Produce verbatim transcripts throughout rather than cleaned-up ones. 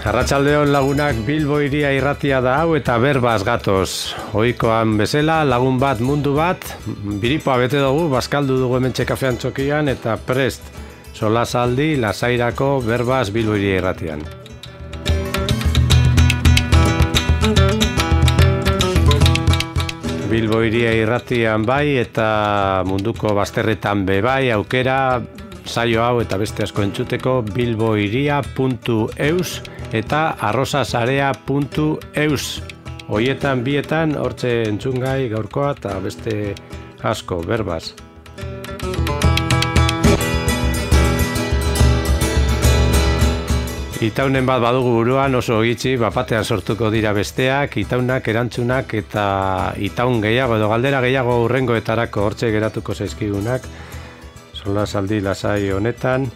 Arratsaldeon lagunak, Bilbo hiria irratia da hau eta berbaz gatoz. Ohikoan bezala, lagun bat mundu bat, biripoa bete dugu, bazkaldu dugu hementxe kafean txokian eta prest solasaldi lasairako berbaz Bilbo hiria irratian. Bilbo hiria irratian bai eta munduko bazterretan be bai, aukera saio hau eta beste asko entzuteko bilbohiria puntu eus eta arrosasarea puntu eus. Hoietan bietan hortze entzungai gaurkoa eta beste asko berbaz. Itaunen bat badugu buruan oso gitxi, bapatean sortuko dira besteak, itaunak, erantzunak eta itaun gehiago edo galdera gehiago hurrengoetarako hortze geratuko zaizkigunak. Solasaldi lasai honetan,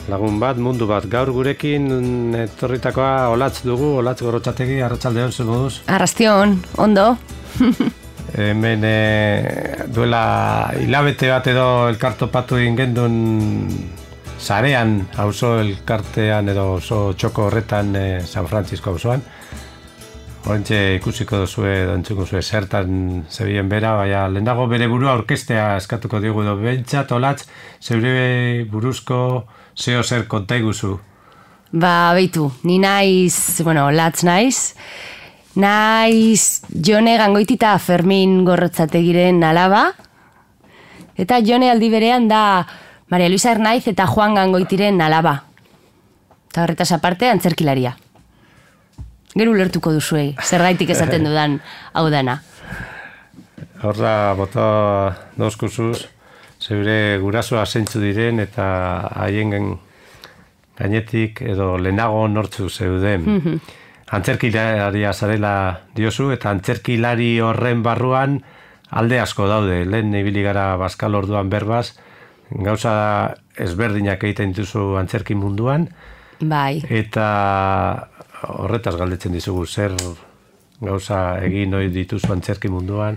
lagun bat, mundu bat, gaur gurekin etorritakoa Olatz dugu, Olatz Gorrotxategi, arratsaldeon zer moduz? Arrastion, ondo. Hemen e, duela hilabete bat edo elkartopatu egin gendun sarean, auzo elkartean edo oso txoko horretan e, San Francisco auzoan. Horentxe ikusiko duzue, dantzuko zue zertan zebien bera, baina lehenago bere burua orkestea eskatuko diogu edo behintzat, Olatz, zeure buruzko zeo zer konta iguzu? Ba, beitu, ni naiz, bueno, Olatz naiz, naiz Jone Gangoitita Fermin Gorrotxategiren alaba, eta Jone aldi berean da Maria Luisa Ernaiz eta Juan Gangoitiren alaba. Eta horretaz aparte, antzerkilaria. Gero ulertuko duzuei, zergaitik esaten dudan hau dana. Horra, bota dozkuzuz, zeure gurasoa zeintzu diren eta haien gainetik edo lehenago nortzu zeuden. Mm-hmm. Antzerkilaria zarela diozu eta antzerkilari horren barruan alde asko daude. Lehen ibili gara bazkal orduan berbaz, gauza ezberdinak egiten dituzu antzerki munduan. Bai. Eta horretaz galdetzen dizugu, zer gauza egin ohi dituzu antzerki munduan,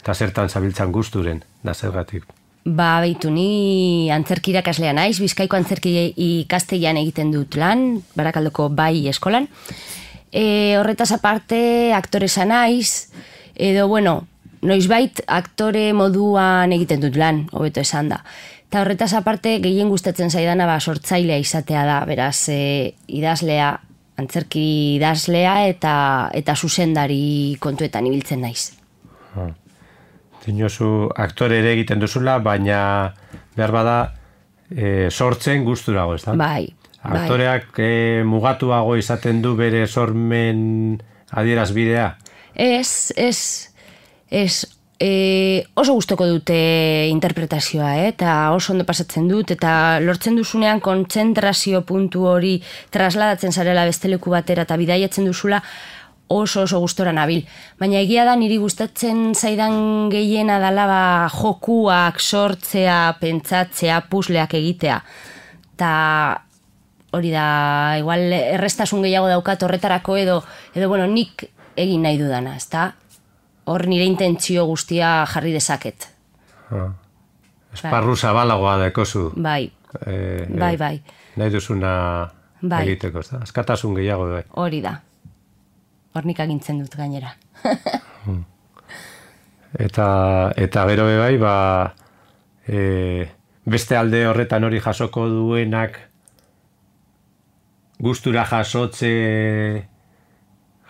eta zertan zabiltzan gusturen, da zergatik. Ba, beitu, ni antzerki irakaslea naiz, Bizkaiko antzerki ikastegian egiten dut lan, Barakaldoko bai eskolan. E, horretaz aparte, aktoresa naiz, edo, bueno, noizbait aktore moduan egiten dut lan, hobeto esan da. Eta horretaz aparte, gehien gustatzen zaidana ba, sortzailea izatea da, beraz, e, idazlea, antzerki idazlea eta eta zuzendari kontuetan ibiltzen naiz. Ha. Dinozu aktore ere egiten duzula, baina behar bada e, sortzen gusturago, ez da? Bai. Aktoreak bai. E, mugatuago izaten du bere sormen adierazbidea? Ez, ez, ez. E, oso gustoko dute interpretazioa, eh? Eta oso ondo pasatzen dut, eta lortzen duzunean kontzentrazio puntu hori trasladatzen zarela besteleku batera eta bidaiatzen duzula oso oso gustora nabil. Baina egia da niri gustatzen zaidan gehiena dala ba, jokuak, sortzea, pentsatzea, pusleak egitea. Eta hori da, igual errestasun gehiago daukat horretarako edo, edo bueno, nik egin nahi dudana, ezta? Hor nire intentzio guztia jarri dezaket. Ha. Esparru zabalagoa dekozu. Bai, e, bai, bai. Nahi duzuna bai. Egiteko, ez da? Askatasun gehiago bai. Hori da. Hor nik agintzen dut gainera. eta, eta gero bai, ba, e, beste alde horretan hori jasoko duenak gustura jasotze...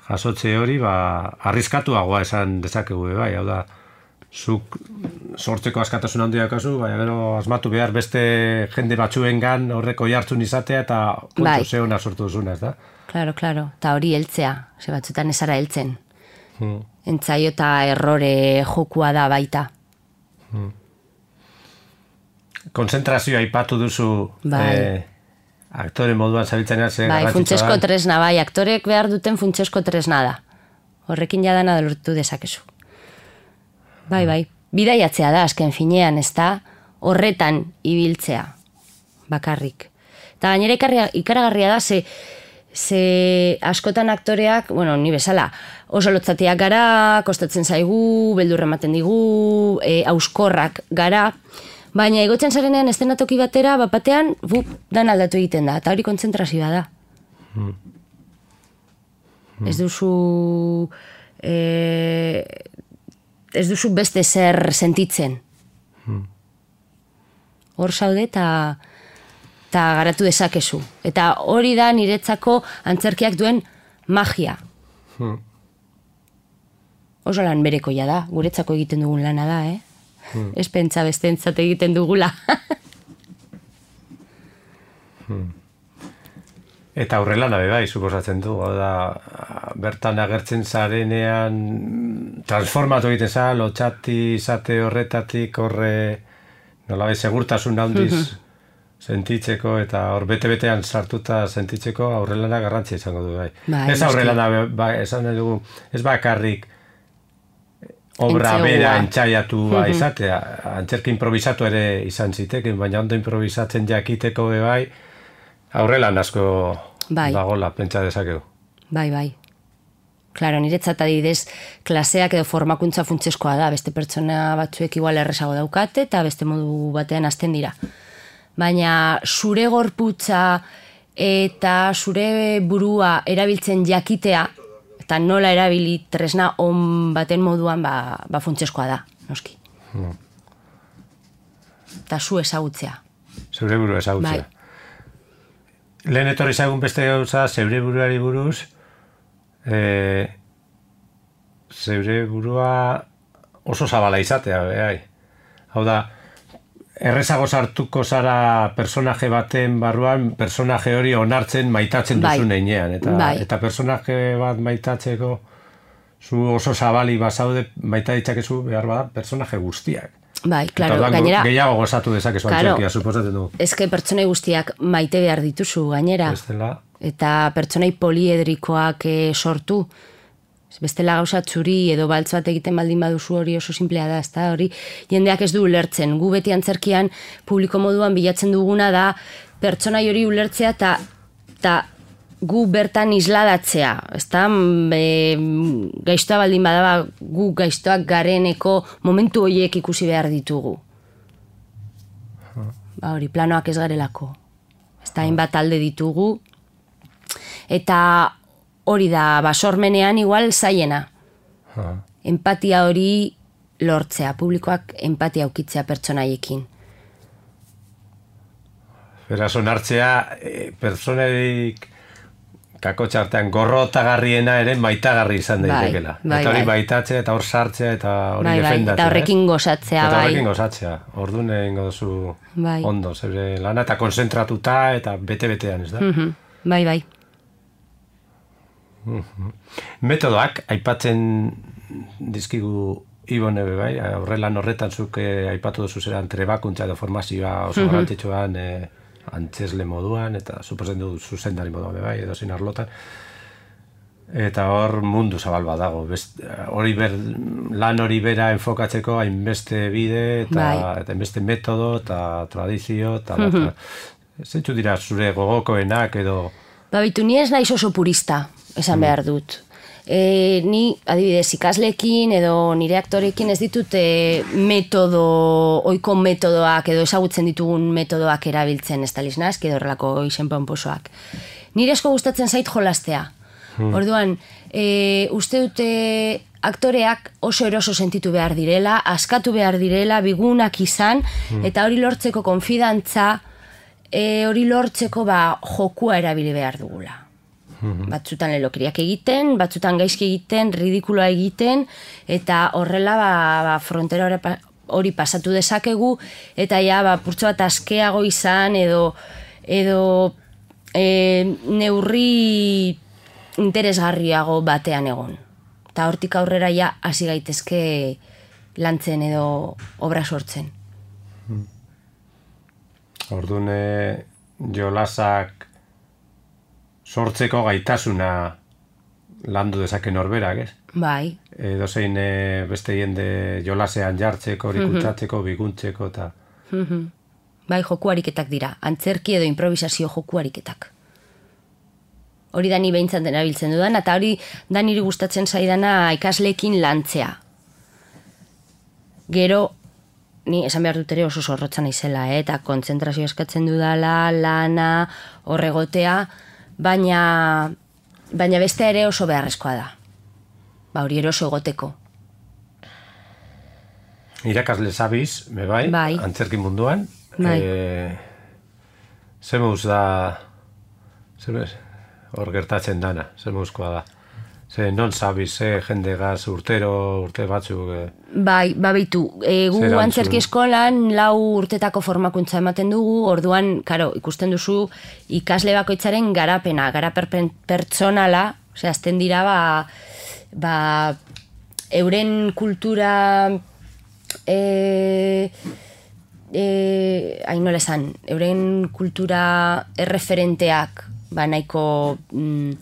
jasotze hori, ba, arriskatuagoa esan dezakegu, bai, hau da, zuk sortzeko askatasun handia kasu, baina gero asmatu behar beste jende batzuengan horreko jartzun izatea eta puntu bai. Zeona sortu duzuna, ez da? Claro, claro, eta hori heltzea, ze batzutan ezara heltzen. Hmm. Entzaio eta errore jokua da baita. Hmm. Konzentrazioa aipatu duzu... Bai. Eh, aktore moduan zabiltzen zer bai, funtsesko tresna, bai, aktorek behar duten funtsesko tresna da. Horrekin jadana lortu dezakezu. Bai, bai, bidaiatzea da, azken finean, ez da, horretan ibiltzea, bakarrik. Eta gainera ikaragarria da, ze, ze askotan aktoreak, bueno, ni bezala, oso lotzatiak gara, kostatzen zaigu, beldurra ematen digu, e, auskorrak gara, baina egotzen zarenean estenatoki batera, bapatean, bu, dan aldatu egiten da, eta hori kontzentrazioa da. Hmm. Ez duzu... E, ez duzu beste zer sentitzen. Hor zaude eta eta garatu dezakezu. Eta hori da niretzako antzerkiak duen magia. Hmm. Oso lan berekoia da, guretzako egiten dugun lana da, eh? Hmm. Ez pentsa bestentzat egiten dugula. hmm. Eta aurrelana be bai, suposatzen du, da, bertan agertzen zarenean transformatu egiten za, lotxati izate horretatik horre nolabai segurtasun handiz sentitzeko eta hor bete-betean sartuta sentitzeko aurrelana garrantzia izango du bai. Ba, ez aurrelana, ba, esan dugu, ez bakarrik obra Entzeua. Bera entxaiatua izatea, antzerki improvisatu ere izan ziteken, baina ondo improvisatzen jakiteko be bai, aurrelan asko bai. Dagola, pentsa dezakegu. Bai, bai. Claro, niretzat adibidez, klaseak edo formakuntza funtsezkoa da, beste pertsona batzuek igual erresago daukate eta beste modu batean hasten dira. Baina zure gorputza eta zure burua erabiltzen jakitea, eta nola erabili tresna on baten moduan, ba, ba funtsezkoa da, noski. Hmm. Eta zu ezagutzea. Zure burua ezagutzea. Bai. Lehen etorri zagun beste gauza, zeure buruari buruz, e, zeure burua oso zabala izatea, behai. Hau da, errezago sartuko zara personaje baten barruan, personaje hori onartzen maitatzen duzu bai. Neinean. Eta, bai. Eta personaje bat maitatzeko, zu oso zabali bazaude maita ditzakezu behar bada personaje guztiak. Bai, claro, eta gainera... Gehiago gozatu dezakezu claro, antzerkia, suposatzen du. Ezke pertsonai guztiak maite behar dituzu, gainera. Bestela. Eta pertsonai poliedrikoak e, sortu. Bestela gauza txuri edo baltz bat egiten baldin baduzu hori oso simplea da, ezta hori jendeak ez du ulertzen. Gu beti antzerkian publiko moduan bilatzen duguna da pertsonai hori ulertzea eta ta gu bertan isladatzea, ezta gaiztoa baldin badaba gu gaiztoak gareneko momentu horiek ikusi behar ditugu. Ba hori, planoak ez garelako. Ezta hainbat alde ditugu. Eta hori da, basormenean igual zaiena. Empatia hori lortzea, publikoak empatia aukitzea pertsonaiekin. Beraz, onartzea, e, pertsonaik kakotxartean gorrotagarriena ere maitagarri izan daitekela. Bai, bai, eta hori bai. Maitatzea eta hor sartzea eta hori bai, defendatzea. Eta horrekin gozatzea, eta bai. horrekin gozatzea. Orduan egingo duzu bai. Ondo, zeure lana eta konzentratuta eta bete-betean, ez da? Mm-hmm. Bai, bai. Mm-hmm. Metodoak, aipatzen dizkigu Ibone be bai, horrelan horretan zuk eh, aipatu duzu zeran trebakuntza edo formazioa oso mm-hmm. garrantzitsuan eh, antzesle moduan, eta suposen du zuzendari moduan bai, edo zin arlotan. Eta hor mundu zabal bat dago. Best, hori ber, lan hori bera enfokatzeko hainbeste bide, eta, bai. Eta hainbeste metodo, eta tradizio, eta mm-hmm. zentzu dira zure gogokoenak edo... Ba bitu, ni ez naiz oso purista, esan mm. behar dut. E, ni, adibidez, ikaslekin edo nire aktorekin ez ditut e, metodo, oiko metodoak edo ezagutzen ditugun metodoak erabiltzen ez taliz nazk edo horrelako izen ponposoak. Nire asko gustatzen zait jolastea. Hmm. Orduan, e, uste dute aktoreak oso eroso sentitu behar direla, askatu behar direla, bigunak izan, hmm. eta hori lortzeko konfidantza, e, hori lortzeko ba, jokua erabili behar dugula. Batzutan lelokiriak egiten, batzutan gaizki egiten, ridikuloa egiten, eta horrela ba, ba, frontera hori pasatu dezakegu, eta ja, ba, purtsu bat askeago izan, edo, edo e, neurri interesgarriago batean egon. Eta hortik aurrera ja, hasi gaitezke lantzen edo obra sortzen. Orduan, jolasak sortzeko gaitasuna landu dezake norberak, ez? Bai. Edo zein e, beste jende jolasean jartzeko, horikuntatzeko, biguntzeko, eta... Mm-hmm. Bai, joku ariketak dira. Antzerki edo improvisazio joku ariketak. Hori da ni behintzat erabiltzen dudan, eta hori da niri gustatzen zaidana ikasleekin lantzea. Gero, ni esan behar dut ere oso zorrotza naizela, eh? Eta kontzentrazio eskatzen dudala, lana, horregotea, baina baina beste ere oso beharrezkoa da. Ba, hori ere oso egoteko. Irakasle zabiz, me bai, bai. antzerki munduan. Bai. E, Zemuz da, zemuz, hor gertatzen dana, zemuzkoa da. Ze non zabiz, ze jende gaz urtero, urte batzuk... E, bai, babitu, e, gu antzerki eskolan lau urtetako formakuntza ematen dugu, orduan, karo, ikusten duzu ikasle bakoitzaren garapena, garapen pertsonala, ose, azten dira, ba, ba, euren kultura... E, e, hain nola esan, euren kultura erreferenteak ba nahiko mm,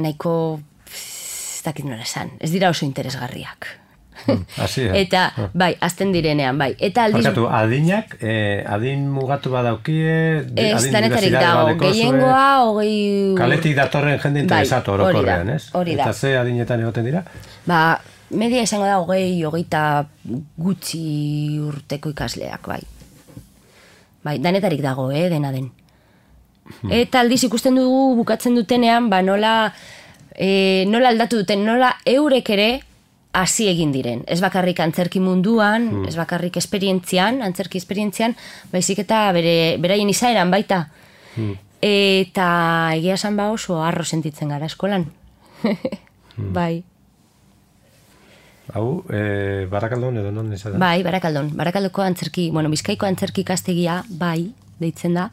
nahiko ez dakit nola esan, ez dira oso interesgarriak. Mm, así, eh? Eta, ah. bai, azten direnean, bai. Eta aldiz... Barkatu, adinak, eh, adin mugatu badaukie, ez, danetarik dago, gehiengoa, hogei... Kaletik datorren jende interesatu bai, orokorrean, ez? Hori da. Eta ze adinetan egoten dira? Ba, media izango da hogei, hogeita gutxi urteko ikasleak, bai. Bai, danetarik dago, eh, dena den. Hmm. Eta aldiz ikusten dugu bukatzen dutenean, ba nola, e, nola aldatu duten, nola eurek ere hasi egin diren. Ez bakarrik antzerki munduan, hmm. ez bakarrik esperientzian, antzerki esperientzian, baizik eta bere, beraien izaeran baita. Hmm. Eta egia esan ba oso harro sentitzen gara eskolan. hmm. Bai. Hau, e, Barakaldon edo non izan da? Bai, Barakaldon. Barakaldoko antzerki, bueno, Bizkaiko antzerki ikastegia, bai, deitzen da,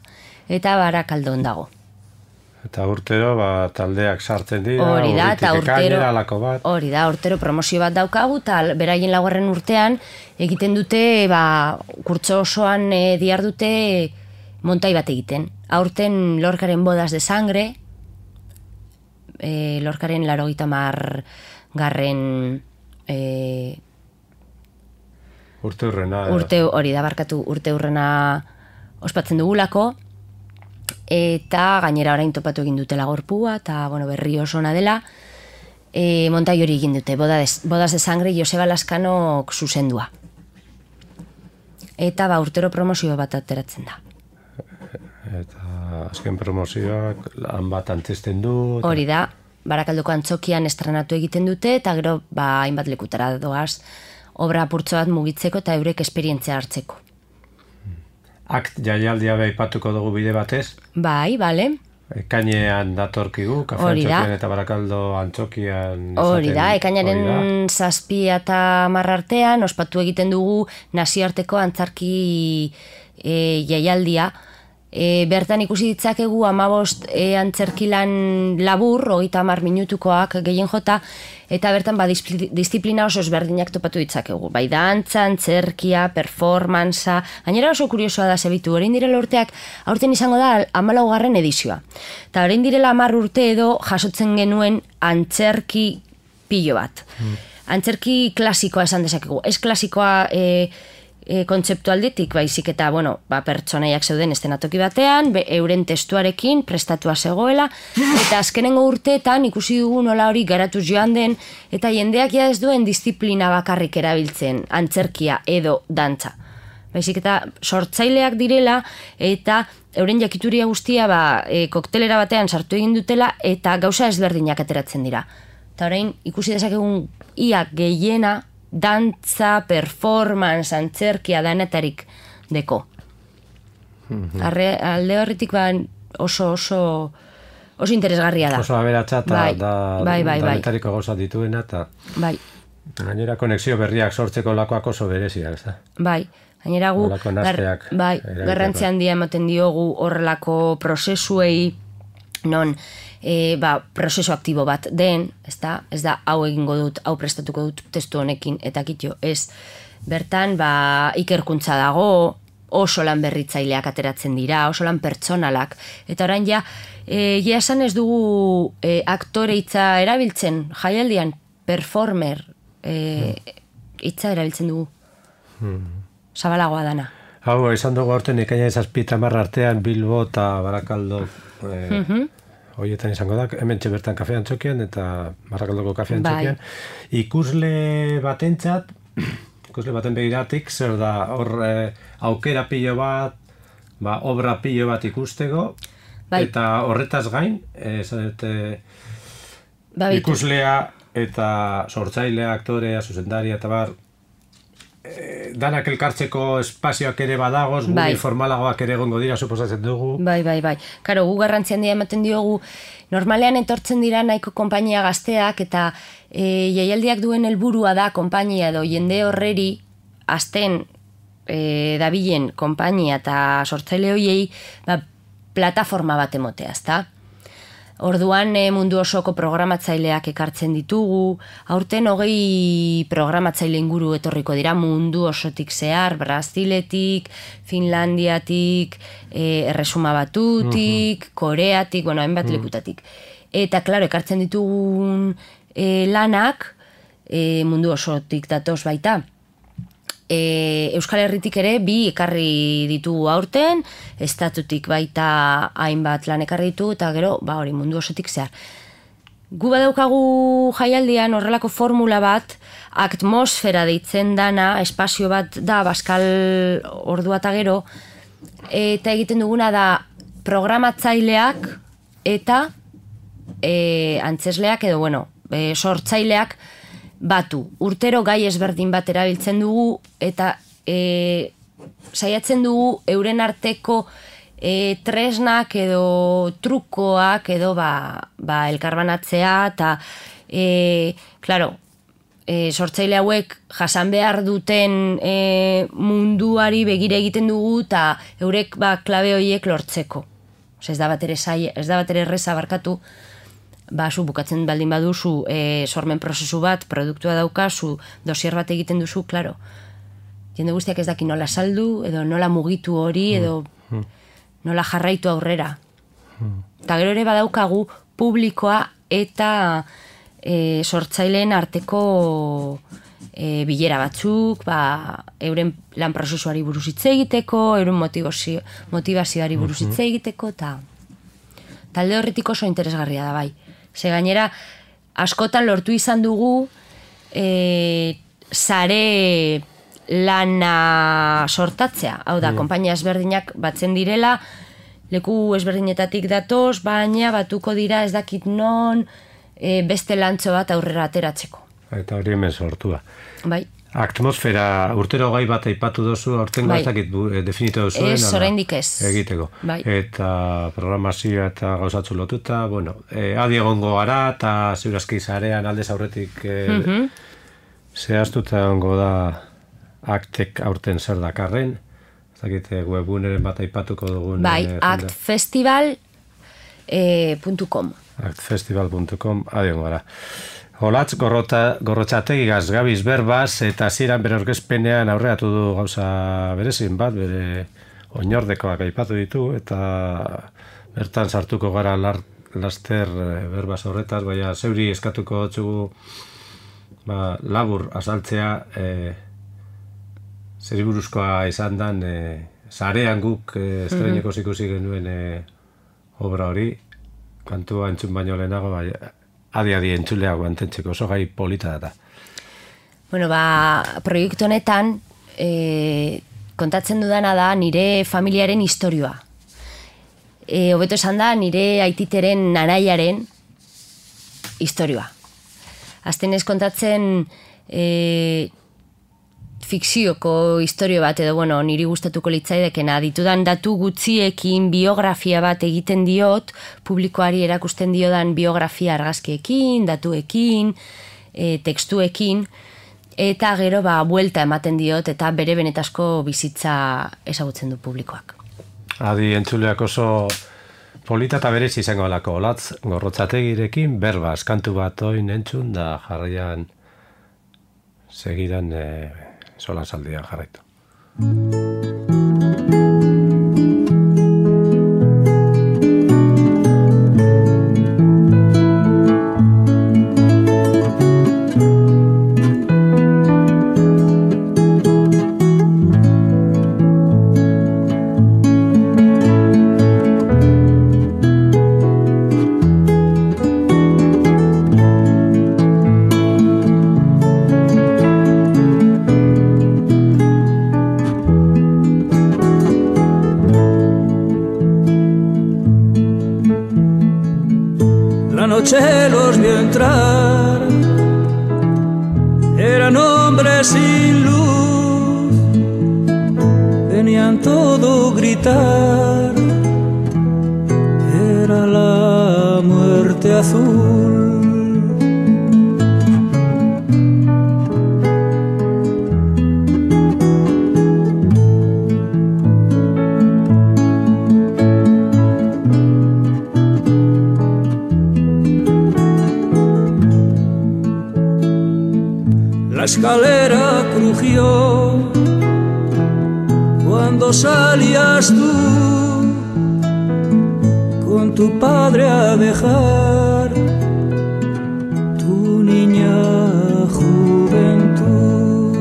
eta Barakaldon dago. Eta urtero, ba, taldeak sartzen dira, hori da, eta urtero, bat. Hori da, urtero promozio bat daukagu, eta beraien laugarren urtean egiten dute, ba, kurtso osoan e, diar dute montai bat egiten. Aurten Lorcaren bodas de sangre, e, Lorcaren larogeita hamar garren... E, urte hurrena urte, hori da barkatu urte hurrena ospatzen dugulako eta gainera orain topatu egin dutela gorpua eta bueno, berri oso ona dela e, montai hori egin dute bodas, bodas de sangre Joseba Laskanok zuzendua eta ba urtero promozio bat ateratzen da eta azken promozioak lan bat antzesten du eta... hori da Barakaldoko antzokian estrenatu egiten dute eta gero ba hainbat lekutara doaz obra apurtxo bat mugitzeko eta eurek esperientzia hartzeko. Akt jaialdia aipatuko dugu bide batez? Bai, bale. Ekainean datorkigu, kafe antzokian eta Barakaldo antzokian... Hori da, ekainaren zazpia eta hamar artean ospatu egiten dugu nazioarteko antzarki e, jaialdia. E, bertan ikusi ditzakegu hamabost e, antzerkilan labur, hogeita hamar minutukoak gehien jota, eta bertan ba, disiplina oso ezberdinak topatu ditzakegu. Bai dantza, antzerkia, performantza, gainera oso kuriosoa da zebitu, orain direla urteak, aurten izango da hamalaugarren edizioa. Eta orain direla hamar urte edo jasotzen genuen antzerki pilo bat. Mm. Antzerki klasikoa esan dezakegu. Ez klasikoa... E, E, kontzeptualdetik, baizik eta, bueno, ba, pertsonaiak zeuden estenatoki batean, be, euren testuarekin prestatua zegoela, eta azkenengo urteetan ikusi dugu nola hori garatuz joan den, eta jendeak ja ez duen disiplina bakarrik erabiltzen, antzerkia edo dantza. Baizik eta sortzaileak direla, eta euren jakituria guztia ba, e, koktelera batean sartu egin dutela, eta gauza ezberdinak ateratzen dira. Eta orain, ikusi dezakegun ia gehiena, dantza, performance, antzerkia danetarik deko. Mm-hmm. Arre, alde horretik ba oso oso oso interesgarria da. Oso aberatsa eta bai, da bai, bai, danetariko bai. Gauza dituena eta bai. Gainera konexio berriak sortzeko lakoak oso bereziak, ez da? Bai. Gainera gu gar, bai, garrantzi handia ematen diogu horrelako prozesuei non E, ba, prozesu aktibo bat den, ez da, ez da hau egingo dut, hau prestatuko dut testu honekin, eta kitio, ez, bertan, ba, ikerkuntza dago, oso lan berritzaileak ateratzen dira, oso lan pertsonalak, eta orain ja, e, ja esan ez dugu e, aktore hitza erabiltzen, jaialdian, performer, e, hitza erabiltzen dugu, hmm. Zabalagoa dana. Hau, esan dugu aurten ikaina ezazpita marra artean, Bilbo eta Barakaldo, e, mm-hmm. Horietan izango da, hemen bertan kafe antzokian eta Barakaldoko kafe antzokian. Bai. Ikusle batentzat, ikusle baten begiratik, zer da, hor eh, aukera pilo bat, ba, obra pilo bat ikusteko. Bai. Eta horretaz gain, esan dute Ba, ikuslea eta sortzailea, aktorea, zuzendaria eta bar, e, danak elkartzeko espazioak ere badagoz, gure bai. formalagoak ere egongo dira, suposatzen dugu. Bai, bai, bai. Karo, gu garrantzi handia ematen diogu, normalean etortzen dira nahiko konpainia gazteak eta e, jaialdiak duen helburua da konpainia edo jende horreri azten e, dabilen konpainia eta sortzaile hoiei ba, plataforma bat emotea, ezta? Orduan e, mundu osoko programatzaileak ekartzen ditugu, aurten hogei programatzaile inguru etorriko dira mundu osotik zehar, Braziletik, Finlandiatik, e, Erresuma Batutik, uh-huh. Koreatik, bueno, hainbat uh-huh. lekutatik. Eta, klaro, ekartzen ditugun e, lanak e, mundu osotik datoz baita. E, Euskal Herritik ere bi ekarri ditugu aurten, estatutik baita hainbat lan ekarri ditugu, eta gero, ba hori, mundu osotik zehar. Gu badaukagu jaialdian horrelako formula bat, atmosfera deitzen dana, espazio bat da, Baskal ordua eta gero, eta egiten duguna da programatzaileak eta e, antzesleak edo, bueno, e, sortzaileak batu. Urtero gai ezberdin bat erabiltzen dugu eta e, saiatzen dugu euren arteko e, tresnak edo trukoak edo ba, ba elkarbanatzea eta e, claro, e, sortzaile hauek jasan behar duten e, munduari begire egiten dugu eta eurek ba klabe horiek lortzeko. Ez da bat ere sai, ez da bat ere erreza barkatu. Ba, zu bukatzen baldin baduzu e, sormen prozesu bat, produktua daukazu, dosier bat egiten duzu, klaro. Jende guztiak ez daki nola saldu, edo nola mugitu hori, edo nola jarraitu aurrera. Eta gero ere badaukagu publikoa eta e, sortzaileen arteko e, bilera batzuk, ba, euren lan prozesuari buruz hitz egiteko, euren motivazio, motivazioari buruz hitz egiteko, eta talde horretik oso interesgarria da bai. Ze gainera, askotan lortu izan dugu e, sare lana sortatzea. Hau da, mm. konpainia ezberdinak batzen direla, leku ezberdinetatik datoz, baina batuko dira ez dakit non e, beste lantzo bat aurrera ateratzeko. Eta hori hemen sortua. Bai. Atmosfera urtero gai bat aipatu dozu, aurten bai. Gaztakit definitu duzuen. Ez, oraindik ez. Egiteko. Bai. Eta programazioa eta gauzatzu lotuta, bueno, e, adi egongo gara, eta ziurazki zarean aldez aurretik e, mm-hmm. zehaztuta egongo da aktek aurten zer dakarren. Ez dakit webguneren bat aipatuko dugun. Bai, e, actfestival puntu com. actfestival puntu com, adi egongo gara. Olatz gorrota, gorrotxategi gabiz berbaz eta ziran bere orkezpenean aurreatu du gauza berezin bat, bere oinordekoak aipatu ditu eta bertan sartuko gara lar, laster berbaz horretaz, baina zeuri eskatuko txugu ba, labur azaltzea e, zeri buruzkoa izan dan e, zarean guk e, estreineko zikusi genuen e, obra hori, kantua entzun baino lehenago, baina adi-adi entzuleak guantentzeko, oso gai polita da. Bueno, ba, proiektu honetan e, kontatzen dudana da nire familiaren historioa. E, hobeto esan da, nire aititeren nanaiaren historioa. Azten ez kontatzen e, fikzioko historio bat, edo bueno, niri gustatuko litzaidekena, ditudan datu gutxiekin biografia bat egiten diot, publikoari erakusten diodan biografia argazkiekin, datuekin, e, tekstuekin, eta gero ba, buelta ematen diot, eta bere benetazko bizitza ezagutzen du publikoak. Adi entzuleak oso polita eta berez izango alako, Olatz gorrotxategirekin berbaz, kantu bat oin entzun, da jarraian segidan e, sola saldian jarraitu. Una noche los vio entrar, eran hombres sin luz, venían todo gritar, era la muerte azul. La escalera crujió cuando salías tú con tu padre a dejar tu niña juventud.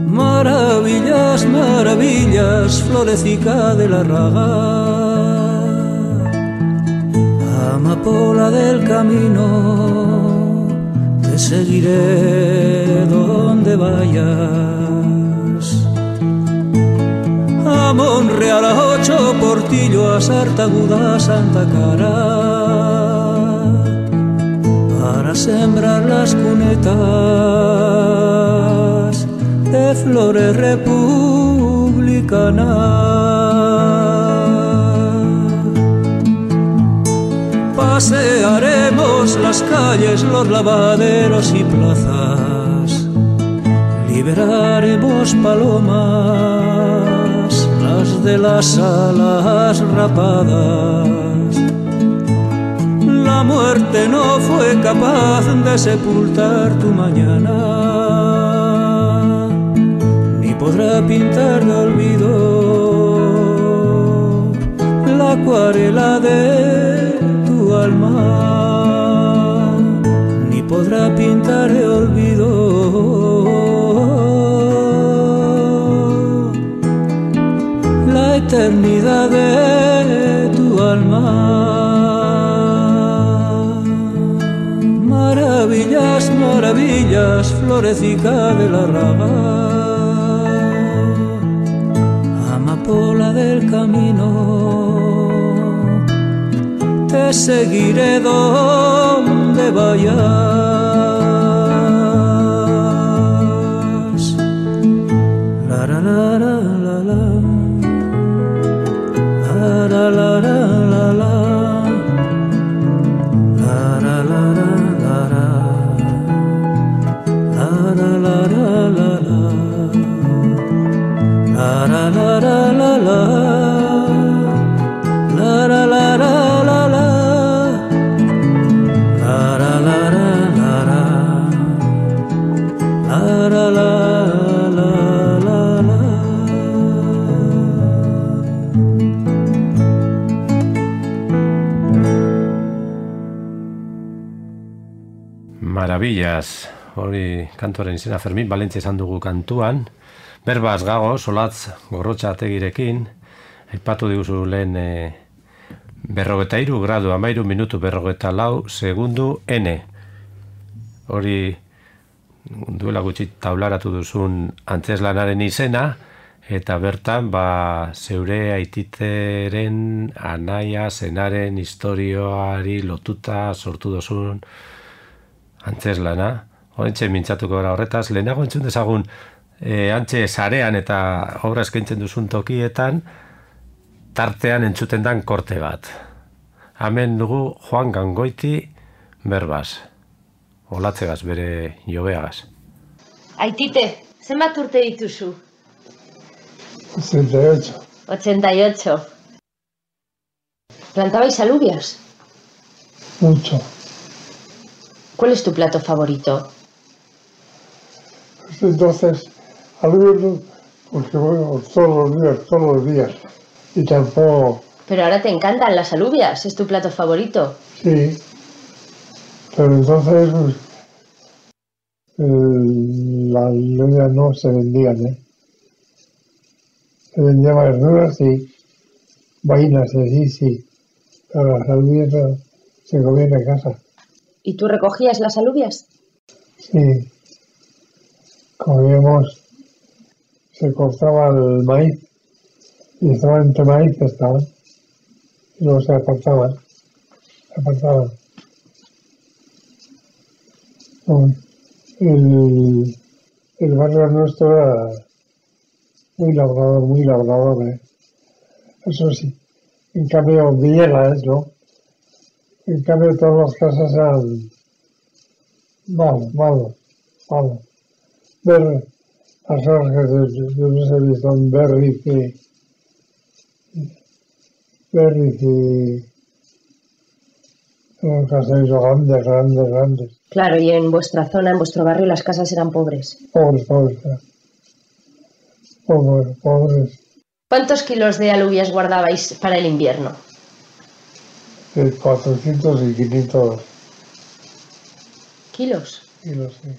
Maravillas, maravillas, florecita de la raga, amapola del camino, te seguiré donde vayas. A Monreal, a Ocho Portillo, a Sartaguda, a Santa Cara, para sembrar las cunetas de flores republicanas. Pasearemos las calles, los lavaderos y plazas, liberaremos palomas, las de las alas rapadas. La muerte no fue capaz de sepultar tu mañana, ni podrá pintar de olvido la acuarela de alma, ni podrá pintar de olvido la eternidad de tu alma. Maravillas, maravillas, florecita de la raga, amapola del camino, te seguiré donde vayas. La la la la la la, la la la la la, la la la la la, la la la la la, la la la la la, la la la la. Maravillas, hori kantuaren izena Fermin Valentzia esan dugu kantuan. Berbaz gago, solatz gorrotxategirekin, aipatu diguzu lehen e, berrogeta iru gradu, amairu minutu berrogeta lau segundu N. Hori duela gutxi taularatu duzun antzeslanaren izena, eta bertan ba, zeure aititeren anaia zenaren historioari lotuta sortu duzun antzeslana. Horentxe mintzatuko gara horretaz, lehenago entzun dezagun e, antxe sarean eta obra eskaintzen duzun tokietan tartean entzuten dan korte bat. Hemen dugu Juan Gangoiti berbaz. Olatzegaz, bere jobeagaz. Aitite, zenbat urte dituzu? ochenta y ocho. ochenta y ocho. ¿Plantabais alubias? Mucho. ¿Cuál es tu plato favorito? Entonces, alubias, porque bueno, todos los días, todos los días. Y tampoco... Pero ahora te encantan las alubias, es tu plato favorito. Sí. Pero entonces, pues, el, las alubias no se vendían, ¿eh? Se vendían verduras y vainas, sí, sí. Pero las alubias no, se comían en casa. ¿Y tú recogías las alubias? Sí. Comíamos, se cortaba el maíz y estaban entre maíz, estaban, y luego se apartaban, se apartaban. El, el barrio nuestro era muy labrador, muy labrador, ¿eh? Eso sí. En cambio, Villegas, ¿no? En cambio, todas las casas eran malos, malos, malos. Ver las hojas, yo no sé si son Berriz y Berriz y son casas grandes, grandes, grandes. Claro, y en vuestra zona, en vuestro barrio, las casas eran pobres. Pobres, pobres, pobres, pobres. ¿Cuántos kilos de alubias guardabais para el invierno? De cuatrocientos y quinientos kilos. kilos, sí.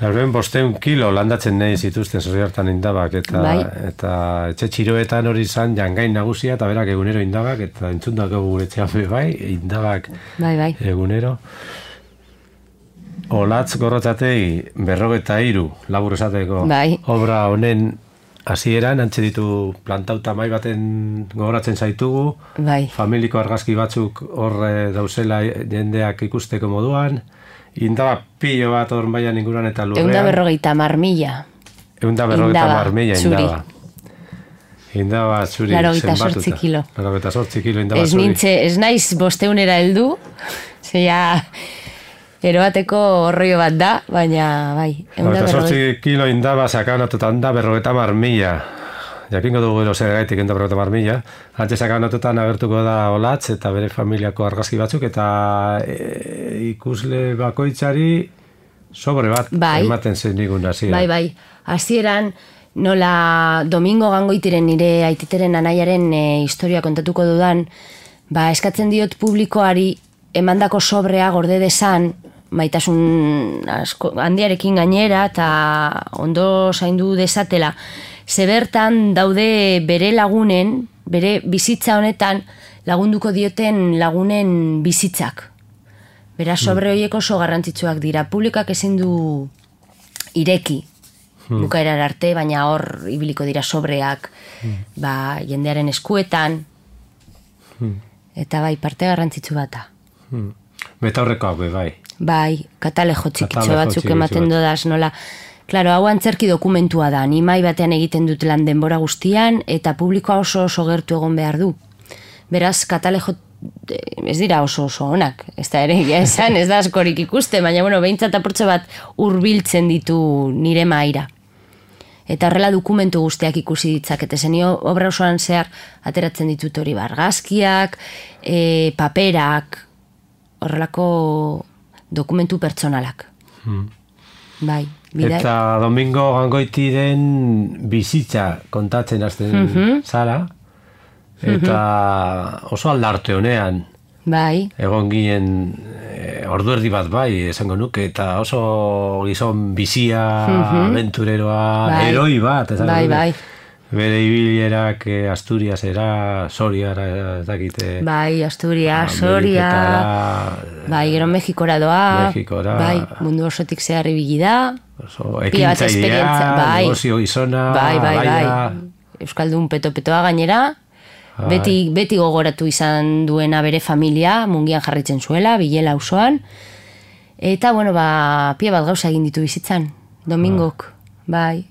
Larben bosteun kilo landatzen nahi zituzten zorri hartan indabak, eta, bai. eta etxe txiroetan hori izan jangain nagusia, eta berak egunero indabak, eta entzundako gure etxean bai, indabak bai, bai. egunero. Olatz gorrotzatei berrogeta hiru labur esateko bai. obra honen hasieran antxe ditu plantauta mai baten gogoratzen zaitugu, bai. familiko argazki batzuk hor dauzela jendeak ikusteko moduan, indaba pilo bat hor baian inguruan eta lurrean. Eunda berrogeita marmila. Eunda berrogeita marmila indaba. Indaba zuri Larogeita sortzi kilo. Larogeita sortzi kilo indaba ez zuri. Nintze, ez naiz bosteunera heldu, zeia eroateko horroio bat da, baina bai. Larogeita sortzi kilo indaba sakanatutan da berrogeita marmila. Jakingo dugu gero zer gaitik enda berrogeita marmila. Antxe sakanatutan agertuko da Olatz eta bere familiako argazki batzuk, eta e, ikusle bakoitzari sobre bat bai. ematen zen nigun hasieran. Bai, bai. Hasieran nola Domingo Gangoitiren nire aititeren anaiaren e, historia kontatuko dudan, ba eskatzen diot publikoari emandako sobrea gorde desan, maitasun asko, handiarekin gainera eta ondo zaindu desatela. Zebertan daude bere lagunen, bere bizitza honetan lagunduko dioten lagunen bizitzak. Beraz, sobre horiek oso garrantzitsuak dira. Publikak ezin du ireki hmm. bukaerar arte, baina hor ibiliko dira sobreak hmm. ba, jendearen eskuetan. Hmm. Eta bai, parte garrantzitsu bata. Hmm. Betaurrekoak be, bai. Bai, katalejo txikitxo batzuk ematen dodaz, nola. Klaro, hau antzerki dokumentua da, animai batean egiten dut lan denbora guztian, eta publikoa oso oso gertu egon behar du. Beraz, katalejo ez dira oso oso onak, ez da ere esan, ez da askorik ikuste, baina bueno, behintzat apurtxo bat hurbiltzen ditu nire maira. Eta horrela dokumentu guztiak ikusi ditzakete, zenio obra osoan zehar ateratzen ditut hori bargazkiak, e, paperak, horrelako dokumentu pertsonalak. Hmm. Bai. Bidai. Eta Domingo Gangoitiren bizitza kontatzen hasten mm-hmm. zara, eta mm-hmm. oso aldarte honean bai. Egon ginen e, ordu erdi bat bai, esango nuke, eta oso gizon bizia, mm-hmm. aventureroa, bai. Heroi bat, esango bai, nuke. Bai. Bere ibilierak eh, Asturias era, Soriara, ez dakite. Bai, Asturias, Soria, bai, gero Mexikora doa, Mexikora, bai, mundu osotik zehar ibili da, ekintzailea, bai, negozio gizona, bai, bai, bai, Euskaldun peto-petoa gainera, bai. beti, beti gogoratu izan duena bere familia, mungian jarritzen zuela, Bilela auzoan, eta, bueno, ba, pia bat gauza egin ditu bizitzan, Domingok, bai.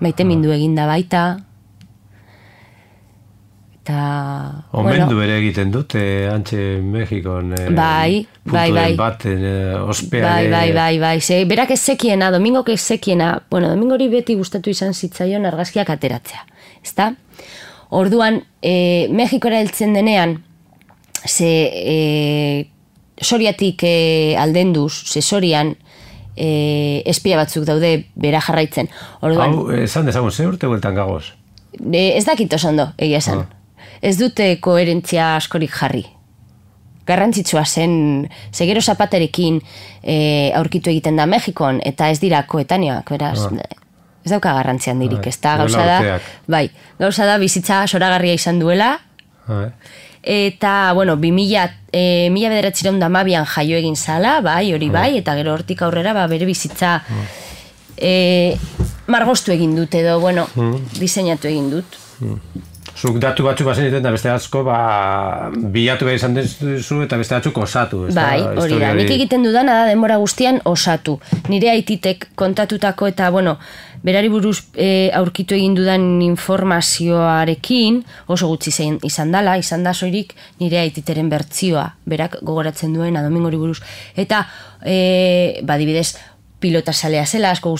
Maite mindu eginda baita. Eta... Omendu bueno, ere egiten dute, antxe Mexikon. Eh, bai, bai, bai. Baten, eh, ospea. Bai, bai, bai, bai. Ze, berak ez zekiena, Domingok ez zekiena. Bueno, Domingori beti gustatu izan zitzaion argazkiak ateratzea. Ezta? Orduan, eh, Mexikora heltzen denean, ze eh, Soriatik eh, aldenduz, ze Sorian, E, espia batzuk daude bera jarraitzen. Orduan, hau, esan dezagun, ze urte bueltan gagoz? E, ez dakit oso ondo, egia esan. Ah. Ez dute koherentzia askorik jarri. Garrantzitsua zen, segero zapaterekin e, aurkitu egiten da Mexikon, eta ez dira koetaneoak, beraz, ah. ez dauka garrantzian dirik, ez da, gauza da, bai, gauza da bizitza soragarria izan duela, ah. Eta, bueno, bi mila, e, mila bederatzireun da mabian jaio egin zala, bai, hori bai, eta gero hortik aurrera, ba, bere bizitza. E, margostu egin dut edo, bueno, mm. diseinatu egin dut. Mm. Zuk datu batzuk bazen egiten, da beste asko, ba, bilatu behar izan duzu eta beste batzuk osatu. Bai, hori da. Nik egiten dudana da denbora guztian osatu. Nire aititek kontatutako eta, bueno, berari buruz e, aurkitu egin dudan informazioarekin oso gutxi zein, izan dala, izan da soilik nire aititeren bertzioa, berak gogoratzen duena Domingori buruz. Eta, e, ba, dibidez, pilota salea zela, asko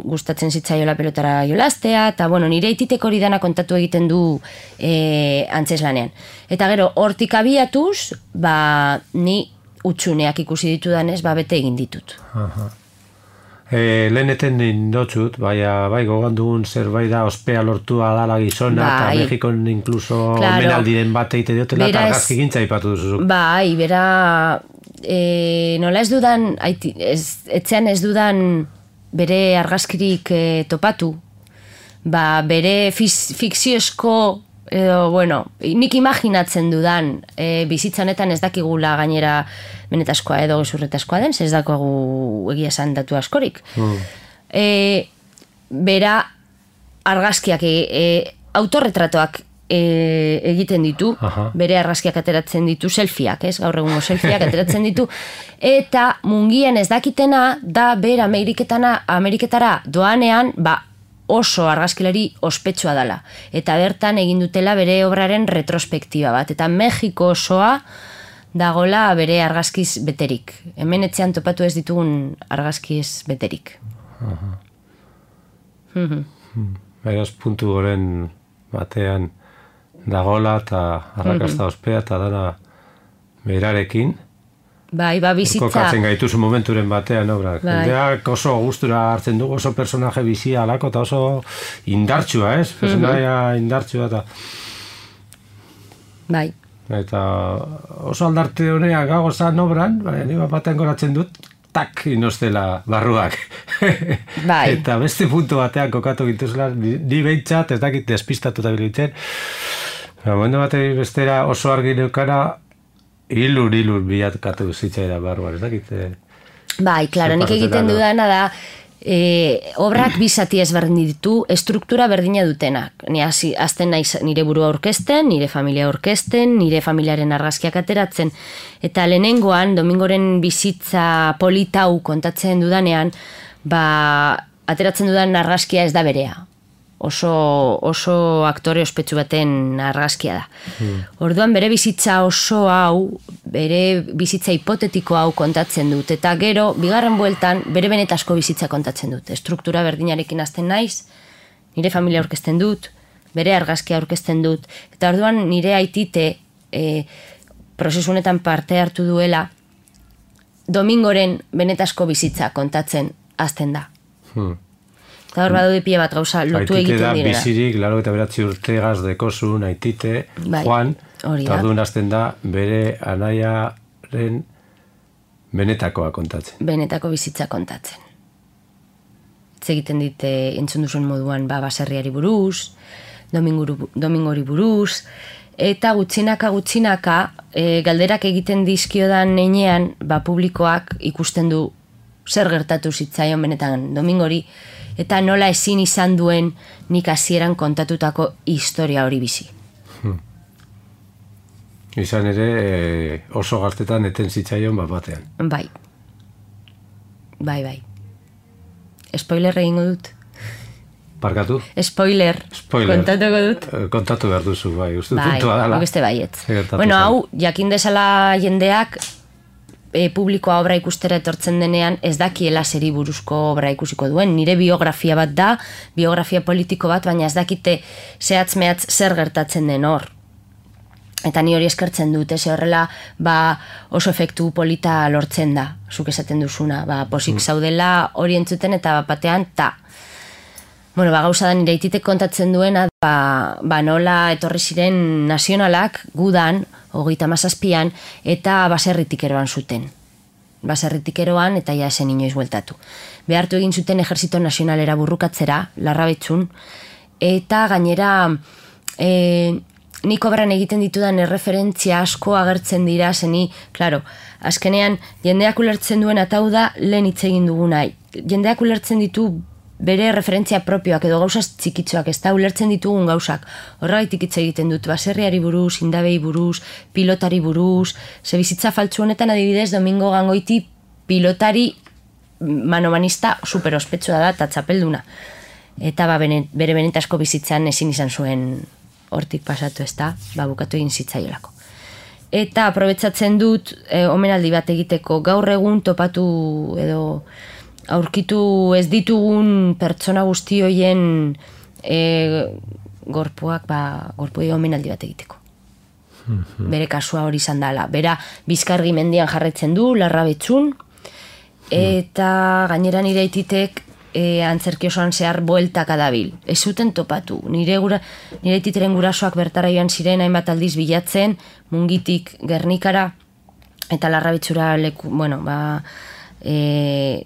gustatzen zitzaiola pelotara jolastea, eta bueno, nire aititek hori dana kontatu egiten du e, antzeslanean. Eta gero, hortik abiatuz, ba, ni utxuneak ikusi ditudanez, ba, bete egin ditut. Aha. E, leheneten nindotzut, baina bai gogandugun zerbait da ospea lortua dala gizona, bai, eta Mexikon inkluso claro, menaldiren bat egite diotela, eta argazki gintza ipatu duzu. Bai, bera... E, nola ez dudan, aiti, ez, etzean ez dudan bere argazkirik e, topatu, ba, bere fiz, fikziozko, edo, bueno, nik imaginatzen dudan e, bizitzanetan ez dakigula gainera benetazkoa edo gezurretazkoa den, ez dakogu egia esan datu askorik. Mm. E, bera argazkiak, e, e, autorretratoak E, egiten ditu, aha, bere argazkiak ateratzen ditu, selfieak, ez, gaur egungo selfieak ateratzen ditu, eta mungien ez dakitena da bera Ameriketana, Ameriketara doanean, ba, oso argazkilari ospetsua dela, eta bertan egin dutela bere obraren retrospektiba bat, eta Mexiko osoa dagola bere argazkiz beterik. Hemen etxean topatu ez ditugun argazkiz beterik. Aha. Mm-hmm. Beraz, puntu goren batean dagola eta arrakasta ospea eta dana berarekin. Bai, ba, bizitza. Kokatzen gaituzu momenturen batean, obrak. Bai. Jendeak oso gustura hartzen dugu, oso personaje bizia alako eta oso indartsua, ez? Personaia mm-hmm. indartsua eta... Bai. Eta oso aldarte honeak gago zan obran, baina nire batean goratzen dut, tak, inoztela barruak. Bai. Eta beste puntu batean kokatu gintuzela, ni behintzat, ez dakit despistatuta bilitzen. Momentu batei bestera oso argi neukara, hilur, hilur bilatkatu zitzaira barruan, ez dakit. Bai, klaro, nik egiten dudana da, e, obrak bizati ezberdin ditu, estruktura berdina dutenak. Ni azten naiz nire burua aurkezten, nire familia aurkezten, nire familiaren argazkiak ateratzen, eta lehenengoan, Domingoren bizitza politau kontatzen dudanean, ba, ateratzen dudan argazkia ez da berea. Oso, oso aktore ospetsu baten argazkia da. Hmm. Orduan bere bizitza oso hau, bere bizitza hipotetiko hau kontatzen dut, eta gero, bigarren bueltan, bere benetazko bizitza kontatzen dut. Estruktura berdinarekin hasten naiz, nire familia aurkezten dut, bere argazkia aurkezten dut, eta orduan nire aitite e, prozesunetan parte hartu duela, Domingoren benetazko bizitza kontatzen hasten da. Hmm. Eta hor badaude pila bat gauza lotu egiten direna. Aitite da bizirik, laro eta beratzi urtegaz dekozun, aitite, bai, Juan, eta orduan hasten da bere anaiaren benetakoa kontatzen. Benetako bizitza kontatzen. Itz egiten dite entzun duzun moduan ba, baserriari buruz, Dominguru, Domingori buruz, eta gutxinaka gutxinaka e, galderak egiten dizkiodan neinean ba, publikoak ikusten du zer gertatu zitzaion benetan Domingori, eta nola ezin izan duen nik hasieran kontatutako historia hori bizi. Hmm. Izan ere e, oso gaztetan eten zitzaion bat batean. Bai. Bai, bai. Spoiler egingo dut. Parkatu? Spoiler. Spoiler. Kontatuko dut. Kontatu behar duzu, bai. Uste bai, puntua dala. Beste baietz. Bueno, hau, jakin desala jendeak E, publikoa obra ikustera etortzen denean ez dakiela zeri buruzko obra ikusiko duen. Nire biografia bat da, biografia politiko bat, baina ez dakite zehatz mehatz zer gertatzen den hor. Eta ni hori eskertzen dut, ez horrela ba, oso efektu polita lortzen da, zuk esaten duzuna. Ba, posik zaudela hori entzuten eta batean, ta. Bueno, ba, gauza da nire ititek kontatzen duena, ba, ba nola etorri ziren nazionalak gudan, hogeita hamazazpian, eta baserritik eroan zuten. Baserritik eroan, eta ja esen inoiz bueltatu. Behartu egin zuten ejerzito nazionalera burrukatzera, Larrabetzun, eta gainera, e, nik obran egiten ditudan erreferentzia asko agertzen dira, zeni, klaro, azkenean, jendeak ulertzen duen, eta hau da, lehen hitz egin duguna. Jendeak ulertzen ditu bere referentzia propioak edo gauzaz txikitzoak, ez da ulertzen ditugun gauzak. Horregaitik hitz egiten dut, baserriari buruz, indabei buruz, pilotari buruz, ze bizitza faltsu honetan adibidez, Domingo Gangoiti pilotari manomanista super ospetsua da eta txapelduna. Eta ba, bere benetazko bizitzan ezin izan zuen hortik pasatu, ez da, ba, bukatu egin zitzaiolako. Eta aprobetsatzen dut e, omenaldi bat egiteko gaur egun topatu edo aurkitu ez ditugun pertsona guzti hoien e, gorpuak, ba, gorpuei omenaldi bat egiteko. Bere kasua hori izan dela. Bera Bizkargi mendian jarraitzen du, Larrabetxun, eta gainera nire aititek E, antzerki osoan zehar bueltaka dabil. Ez zuten topatu. Nire, gura, nire titeren gurasoak bertara joan ziren hainbat aldiz bilatzen, Mungitik Gernikara, eta Larrabetxura leku, bueno, ba, e,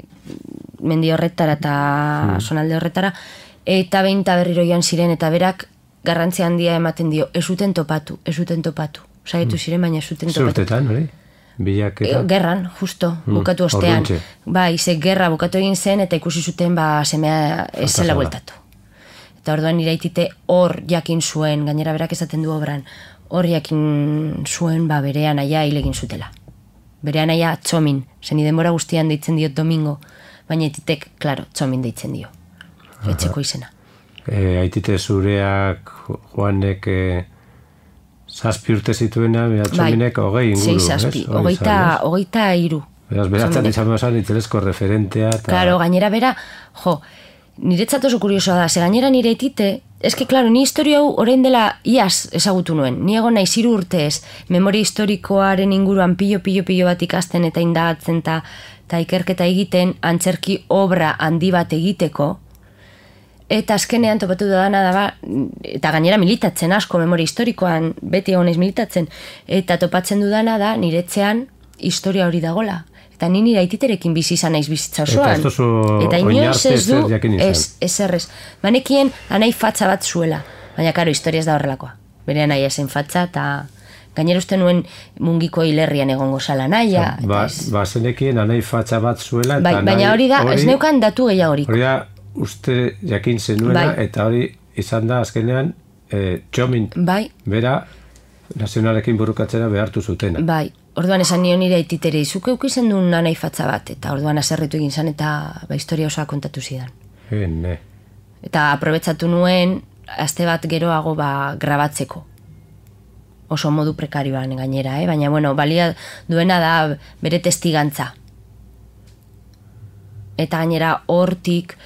mendi horretara eta hmm. sonalde horretara, eta behin eta berriro joan ziren, eta berak garrantzia handia ematen dio, ez zuten topatu, ez zuten topatu. Saietu ziren, baina ez zuten topatu. Zurtetan, hori? Bilaketa. Gerran, justo, bukatu ostean. Ba, ize gerra bukatu egin zen eta ikusi zuten ba semea ez zela bueltatu. Eta orduan iraitite hor jakin zuen, gainera berak esaten du obran, hor jakin zuen ba bere anaia hil egin zutela. Bere anaia Txomin, zen denbora guztian deitzen diot Domingo, baina aititek, klaro, Txomin deitzen dio. Etxeko izena. E, aitite zureak Juanek... E... Zazpi urte zituena, Txominek hogei inguru. Sei, zazpi, hogeita iru. Beraz, beratzen izan bezan itzelezko referentea. Ta... Claro, gainera bera, jo, niretzat oso kuriosoa da, ze gainera nire aitite, eske, claro, ni historia hau orain dela iaz ezagutu nuen. Ni egon naiz hiru urtez, memoria historikoaren inguruan pilo-pilo-pilo bat ikasten eta indagatzen eta ikerketa egiten, antzerki obra handi bat egiteko, eta azkenean topatu dudana da, eta gainera militatzen asko memoria historikoan, beti honez militatzen, eta topatzen dudana da niretzean historia hori dagola. Eta ni nire aititerekin bizi izan naiz bizitza osoan. Eta ez duzu oinarte zer jakin izan. Ez, ez errez. Banekien anai fatza bat zuela, baina karo, historia ez da horrelakoa. Bere anaia zen fatza, eta gainera uste nuen Mungiko hilerrian egongo zala naia. Ba, ba zenekien anai fatza bat zuela. Bai, baina hori da, ez neukan datu gehiagorik. Hori da, uste jakin zenuena, bai. Eta hori izan da azkenean e, Txomin, bai. Bera nazionalekin burukatzera behartu zutena. Bai, orduan esan nion nire aititere izuke ukizen duen anai fatza bat, eta orduan aserretu egin zan eta ba, historia osoa kontatu zidan. Hene. Eta aprobetsatu nuen, aste bat geroago ba, grabatzeko. Oso modu prekarioan gainera, eh? Baina bueno, balia duena da bere testigantza. Eta gainera hortik,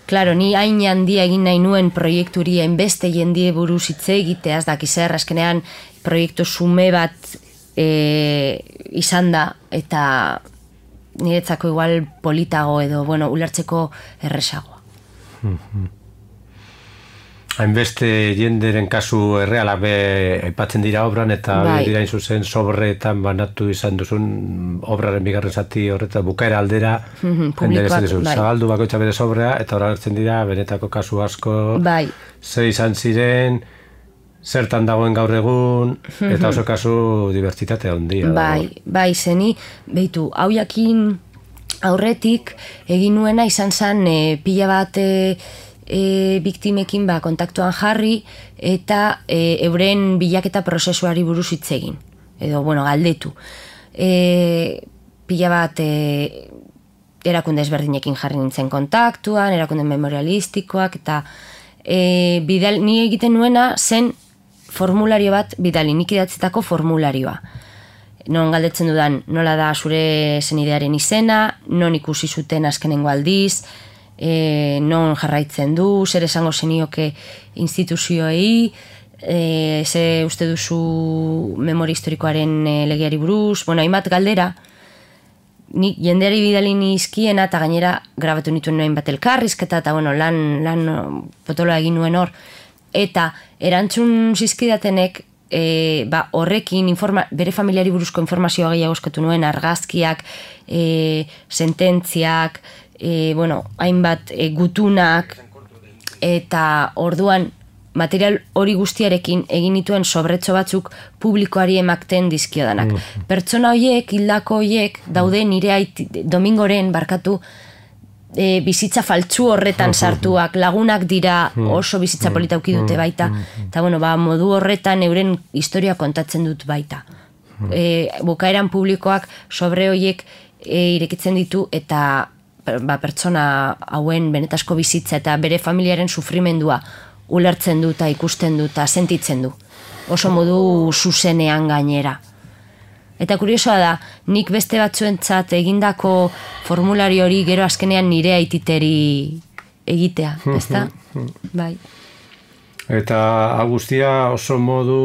klaro, ni hain handia egin nahi nuen proiekturi hainbeste jendie buruz hitz egiteaz dakizer, azkenean proiektu sume bat e, izan da, eta niretzako igual politago edo, bueno, ulertzeko erresagoa. Hainbeste jenderen kasu errealak be aipatzen dira obran, eta bai. Dira zuzen sobreetan banatu izan duzun obraren bigarren zati horretan bukaera aldera, publikoak, bai. Zabaldu bakoitza bere sobrea, eta hor hartzen dira benetako kasu asko, bai. Ze izan ziren, zertan dagoen gaur egun, eta oso kasu dibertsitate handia. Bai, bai, zeni, behitu, hau jakin aurretik egin nuena izan zen e, pila bat e, E, biktimekin ba, kontaktuan jarri eta e, euren bilaketa prozesuari buruz hitz egin. Edo, bueno, galdetu. E, pila bat e, erakunde ezberdinekin jarri nintzen kontaktuan, erakunde memorialistikoak, eta e, bidal, ni egiten nuena zen formulario bat bidali, nik idatzetako formularioa. Non galdetzen dudan nola da zure zenidearen izena, non ikusi zuten azkenengo aldiz, E, non jarraitzen du, zer esango zenioke instituzioei, e, ze uste duzu memoria historikoaren e, legeari buruz, bueno, hainbat galdera, nik jendeari bidali nizkiena eta gainera grabatu nituen noen bat elkarrizketa, eta bueno, lan, lan potoloa egin nuen hor, eta erantzun zizkidatenek, e, ba, horrekin informa, bere familiari buruzko informazioa gehiago eskatu nuen, argazkiak, e, sententziak, E, bueno, hainbat e, gutunak, eta orduan material hori guztiarekin egin dituen sobretxo batzuk publikoari emakten dizkiodanak. Mm. Pertsona horiek, hildako horiek, daude nire aiti, Domingoren barkatu e, bizitza faltsu horretan sartuak, lagunak dira oso bizitza polita auki dute baita, eta bueno, ba, modu horretan euren historia kontatzen dut baita. E, bukaeran publikoak sobre horiek e, irekitzen ditu eta ba, pertsona hauen benetasko bizitza eta bere familiaren sufrimendua ulertzen du eta ikusten du eta sentitzen du. Oso modu zuzenean gainera. Eta kuriosoa da, nik beste batzuentzat egindako formulari hori gero azkenean nire aititeri egitea, ezta? Bai. Eta guztia oso modu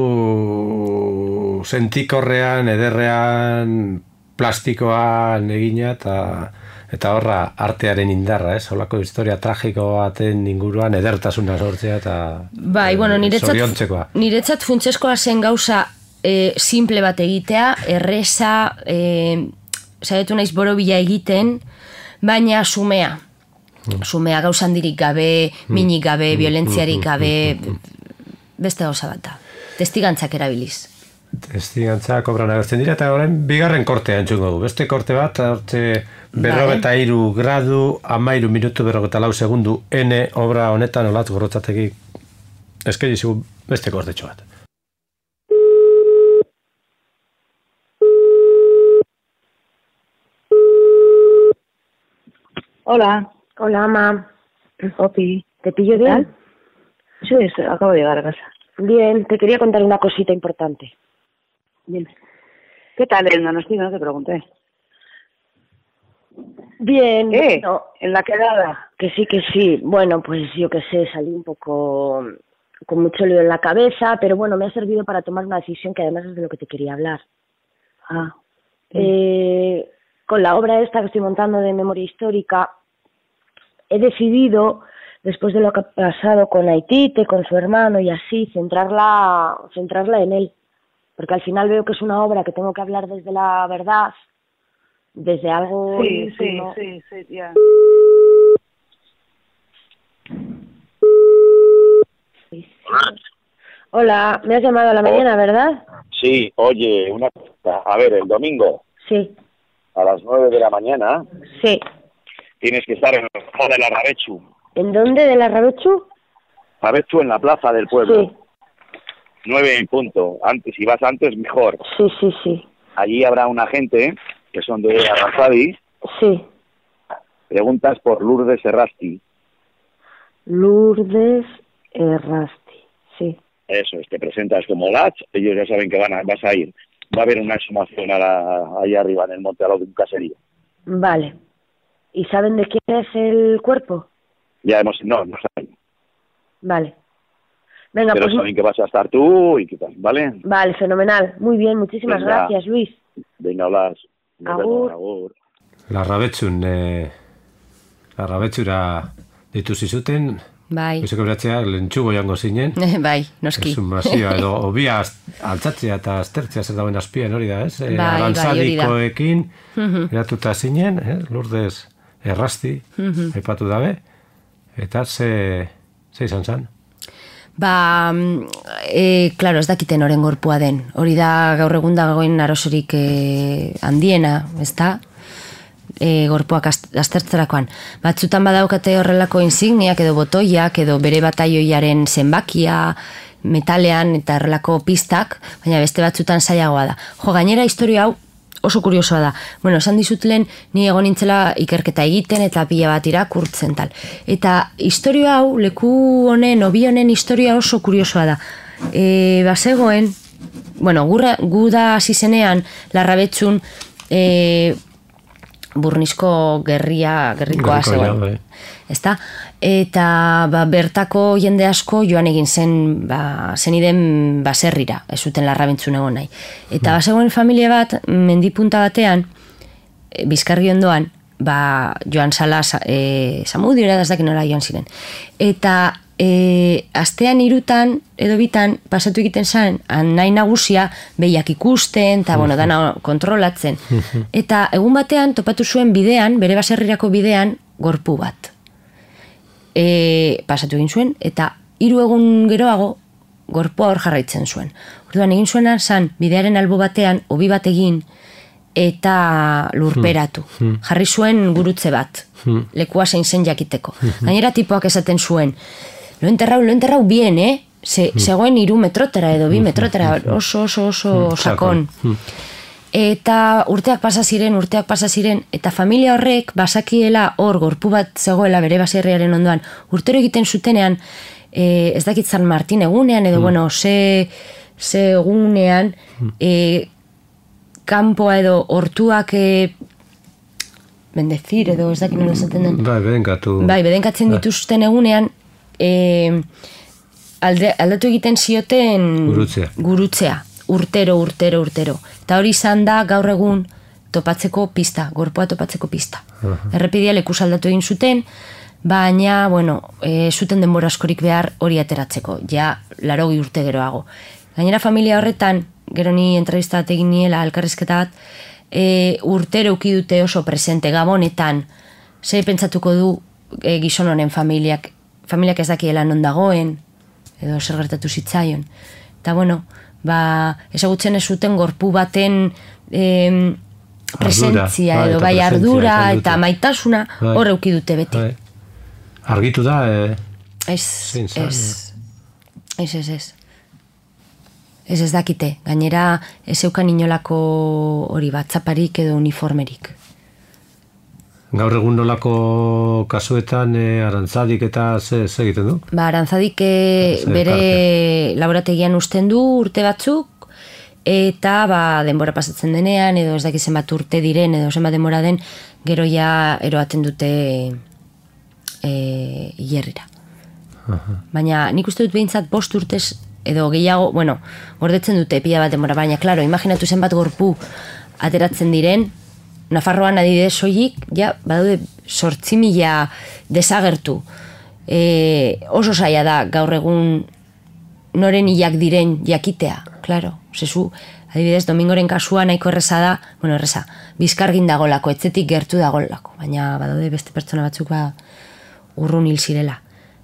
sentikorrean, ederrean, plastikoan egina eta eta horra artearen indarra, ez? Holako historia tragiko baten inguruan edertasuna sortzea eta bai, bueno, niretzat, niretzat funtsezkoa zen gauza e, simple bat egitea, erreza, e, saiatu naiz borobila egiten, baina sumea. Sumea gauza handirik gabe, minik gabe, violentziarik gabe, beste gauza bat da. Testigantzak erabiliz. Testigantzak obran agertzen dira, eta horren bigarren kortea entzungo du. Beste korte bat, hortze berrogeta iru gradu, amairu minutu berrogeta lau segundu, N obra honetan olatz gorrotzategi eskeri zigu beste kortetxo bat. Hola. Hola, ama. Opi. ¿Te pillo bien? Sí, acabo de llegar a casa. Bien, te quería contar una cosita importante. Dime. ¿Qué tal el Donosti? No te pregunté. Bien. ¿Qué? No, ¿En la quedada? que sí, que sí. Bueno, pues yo qué sé, salí un poco con mucho lío en la cabeza, pero bueno, me ha servido para tomar una decisión que además es de lo que te quería hablar. Ah. Eh, con la obra esta que estoy montando de memoria histórica, he decidido, después de lo que ha pasado con Aitite, con su hermano y así, centrarla, centrarla en él. Porque al final veo que es una obra que tengo que hablar desde la verdad, desde algo... Sí, sí, ¿no? sí, sí, ya. Hola, me has llamado a la mañana, ¿verdad? Sí, oye, una cosa. A ver, el domingo, Sí, a las nueve de la mañana, sí. tienes que estar en la plaza de la Rabechu. ¿En dónde? ¿De la Rabechu? Rabechu en la plaza del pueblo. Sí, Nueve en punto. Antes, si vas antes, mejor. sí, sí, sí. Allí habrá una gente que son de Arrasadi. Sí. Preguntas por Lourdes Errasti. Lourdes Errasti, sí. Eso es, te presentas como Lach. Ellos ya saben que van a, vas a ir. Va a haber una exhumación a la, allá arriba en el monte, a lo de un caserío. Vale. ¿Y saben de quién es el cuerpo? Ya hemos... No, no saben. Vale. Venga, Pero pues... saben que vas a estar tú y qué tal, ¿vale? Vale, fenomenal. Muy bien, muchísimas Venga. gracias, Luis. Venga, Blas. Nos Agur. vemos, agur. Larrabetxun, eh, larrabetxura dituzi zuten, Bai. bizeko beratzea, lentsugo jango zinen. Bai, noski. Exhumazioa edo obia altzatzea eta aztertzea zer dauen azpian hori da, ez? Bai, bai, hori da. Arantzadikoekin eratuta zinen, eh? Lourdes Errasti, aipatu dabe, eta ze, ze izan zan? Ba, e, klaro, ez dakiten oren gorpua den. Hori da gaur egun dagoen arosorik e, handiena, ez da? E, gorpuak aztertzerakoan. Batzutan badaukate horrelako insigniak edo botoiak edo bere bataioiaren zenbakia, metalean eta horrelako pistak, baina beste batzutan zailagoa da. Jo, gainera historia hau oso kuriosoa da. Bueno, esan dizut lehen, ni egon nintzela ikerketa egiten eta pila bat irakurtzen tal. Eta historia hau, leku honen, obi honen historia oso kuriosoa da. E, bazegoen, bueno, gurra, gu da hasi zenean, Larrabetxun, e, Burnizko gerria, gerrikoa zegoen. Ezta? Eta ba, bertako jende asko joan egin zen ba, zeniden baserrira, ez zuten Larrabentzun egon nahi. Eta mm. bazegoen familia bat, mendipunta batean, e, Bizkarri ondoan, ba, joan zala e, Zamudiora, ez dakit nola joan ziren. Eta e, astean irutan, edo bitan, pasatu egiten zen, nahi nagusia, behiak ikusten, eta bueno, dana kontrolatzen. Eta egun batean, topatu zuen bidean, bere baserrirako bidean, gorpu bat. E, pasatu egin zuen, eta hiru egun geroago gorpua hor jarraitzen zuen. Orduan egin zuena zan, bidearen albo batean, hobi bat egin, eta lurperatu. Hmm. Jarri zuen gurutze bat, Hmm. lekua zein zen jakiteko. Gainera tipoak esaten zuen, lo enterrau, lo enterrau bien, eh? Se, zegoen iru metrotera edo bi metrotera, oso, oso, oso sakon. Eta urteak pasa ziren, urteak pasa ziren, eta familia horrek basakiela hor gorpu bat zegoela bere baserriaren ondoan, urtero egiten zutenean, e, ez dakit San Martin egunean, edo, bueno, ze, ze egunean, e, kanpoa edo hortuak e, bendezir, edo ez dakit nola esaten den. Bai, bedenkatu. Bai, bedenkatzen dituzten egunean, e, alde, aldatu egiten zioten Gurutzea. gurutzea. Urtero, urtero, urtero. Eta hori izan da gaur egun topatzeko pista, gorpoa topatzeko pista. Uh-huh. Errepidia lekuz aldatu egin zuten, baina, bueno, e, zuten denbora askorik behar hori ateratzeko, ja larogi urte geroago. Gainera familia horretan, gero ni entrevista bat egin niela, elkarrizketa bat, e, urtero uki dute oso presente, gabonetan, zer pentsatuko du e, gizon honen familiak, familiak ez dakiela non dagoen, edo zer gertatu zitzaion. Eta, bueno, ba, ezagutzen ez zuten gorpu baten eh, presentzia ardura, edo bai, bai eta ardura presentzia eta maitasuna bai. hor euki dute beti. Bai. Argitu da, eh? Ez, Zein zan, ez, ez, ez, ez. Ez ez dakite, gainera ez eukan inolako hori bat, zaparik edo uniformerik. Gaur egun nolako kasuetan e, arantzadik eta ze, ze egiten du? Ba, arantzadik e, Ze bere karte. laborategian usten du urte batzuk, eta ba, denbora pasatzen denean, edo ez dakit zenbat urte diren, edo zenbat denbora den, gero ja eroaten dute e, hierrira. Aha. Baina nik uste dut behintzat bost urtez, edo gehiago, bueno, gordetzen dute pila bat denbora, baina, klaro, imaginatu zenbat gorpu ateratzen diren, Nafarroan adibidez soilik, ja, badaude sortzi mila desagertu. E, oso zaila da gaur egun noren hilak diren jakitea, klaro. Zezu, adibidez, Domingoren kasua nahiko erreza da, bueno, erreza, bizkargin dagolako, etzetik gertu dagolako, baina badaude beste pertsona batzuk ba urrun hil zirela,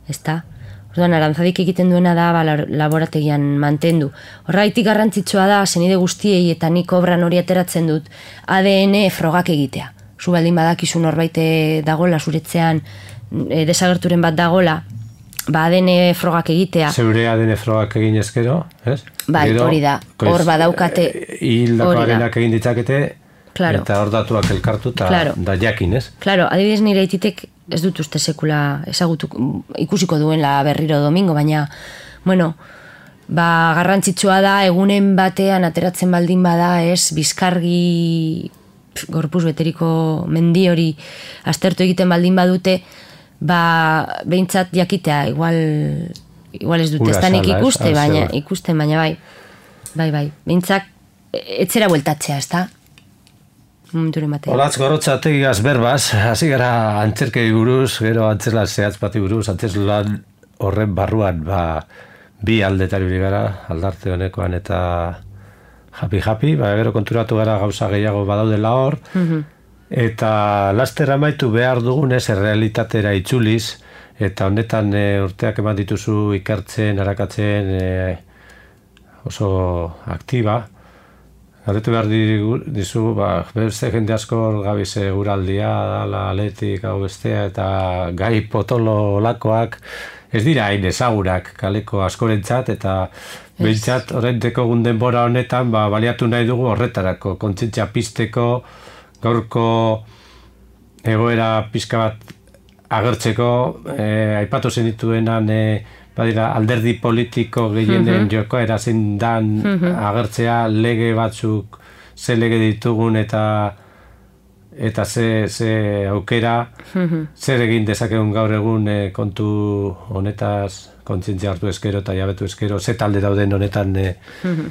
ezta? Orduan, arantzadik egiten duena da ba, laborategian mantendu. Horraitik garrantzitsua da, zenide guztiei eta nik obran hori ateratzen dut, A D N frogak egitea. Zu baldin badakizu norbait dagola, zuretzean e, desagerturen bat dagola, ba A D N frogak egitea. Zeure A D N frogak egin ezkero, ez? Bai, Gero, hori da, pues, hor badaukate. Hildakoarenak egin ditzakete, claro. Eta hor datuak elkartu eta Claro. da jakin, ez? Claro, adibidez nire aititek ez dut uste sekula ezagutu ikusiko duenla berriro Domingo, baina, bueno, ba, garrantzitsua da egunen batean ateratzen baldin bada, ez, bizkargi pf, gorpuz beteriko mendi hori aztertu egiten baldin badute, ba, behintzat jakitea, igual, igual ez dute, Ura ez da nik sala, ez? ikuste, Al baina, zeur. ikusten, baina bai, bai, bai, behintzat, etzera bueltatzea, ez da? Momenturen batean. Olatz gorotzategigaz berbaz, hasi gara antzerkei buruz, gero antzerlan zehatz bati buruz, antzerlan horren barruan, ba, bi aldetari bili gara, aldarte honekoan eta japi-japi, ba, gero konturatu gara gauza gehiago badaudela hor, eta laster amaitu behar dugunez, errealitatera itzuliz, eta honetan e, urteak eman dituzu ikertzen, arakatzen, e, oso aktiba. Galdetu behar dizu, ba, beste jende asko gabize guraldia, dala, aletik, hau bestea, eta gai potolo olakoak ez dira hain ezagurak kaleko askorentzat, eta behintzat horrenteko gundenbora honetan ba, baliatu nahi dugu horretarako, kontzientzia pizteko, gaurko egoera pizka bat agertzeko, e, aipatu zenituenan, e, badira, alderdi politiko gehienen uh-huh. jokoera zein dan uh-huh. agertzea lege batzuk ze lege ditugun eta eta ze, ze aukera uh-huh. zer egin dezakegun gaur egun e, kontu honetaz kontzientzia hartu eskero eta jabetu eskero ze talde dauden honetan e, uh-huh.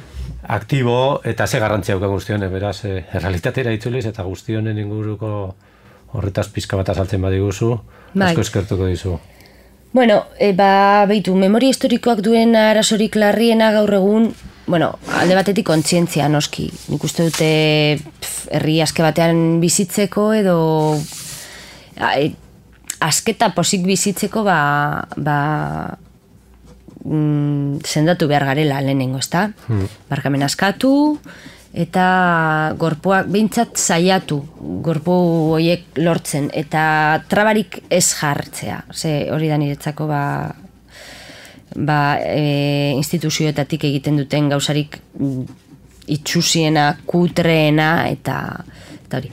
aktibo eta ze garrantzia dauka guztionen, beraz e, errealitatera itzuliz eta guztionen inguruko horretaz pizka bat azaltzen badiguzu, bai. asko eskertuko dizu. Bueno, e, ba, behitu, memoria historikoak duen arazorik larriena gaur egun, bueno, alde batetik kontzientzia noski. Nik uste dute pf, herri aske batean bizitzeko edo a, e, asketa posik bizitzeko ba, ba mm, sendatu behar garela lehenengo, ezta? Hmm. Barkamen askatu, eta gorpuak behintzat saiatu gorpu horiek lortzen, eta trabarik ez jartzea. Ze hori da niretzako ba, ba, e, instituzioetatik egiten duten gauzarik itxusiena, kutreena, eta, eta hori.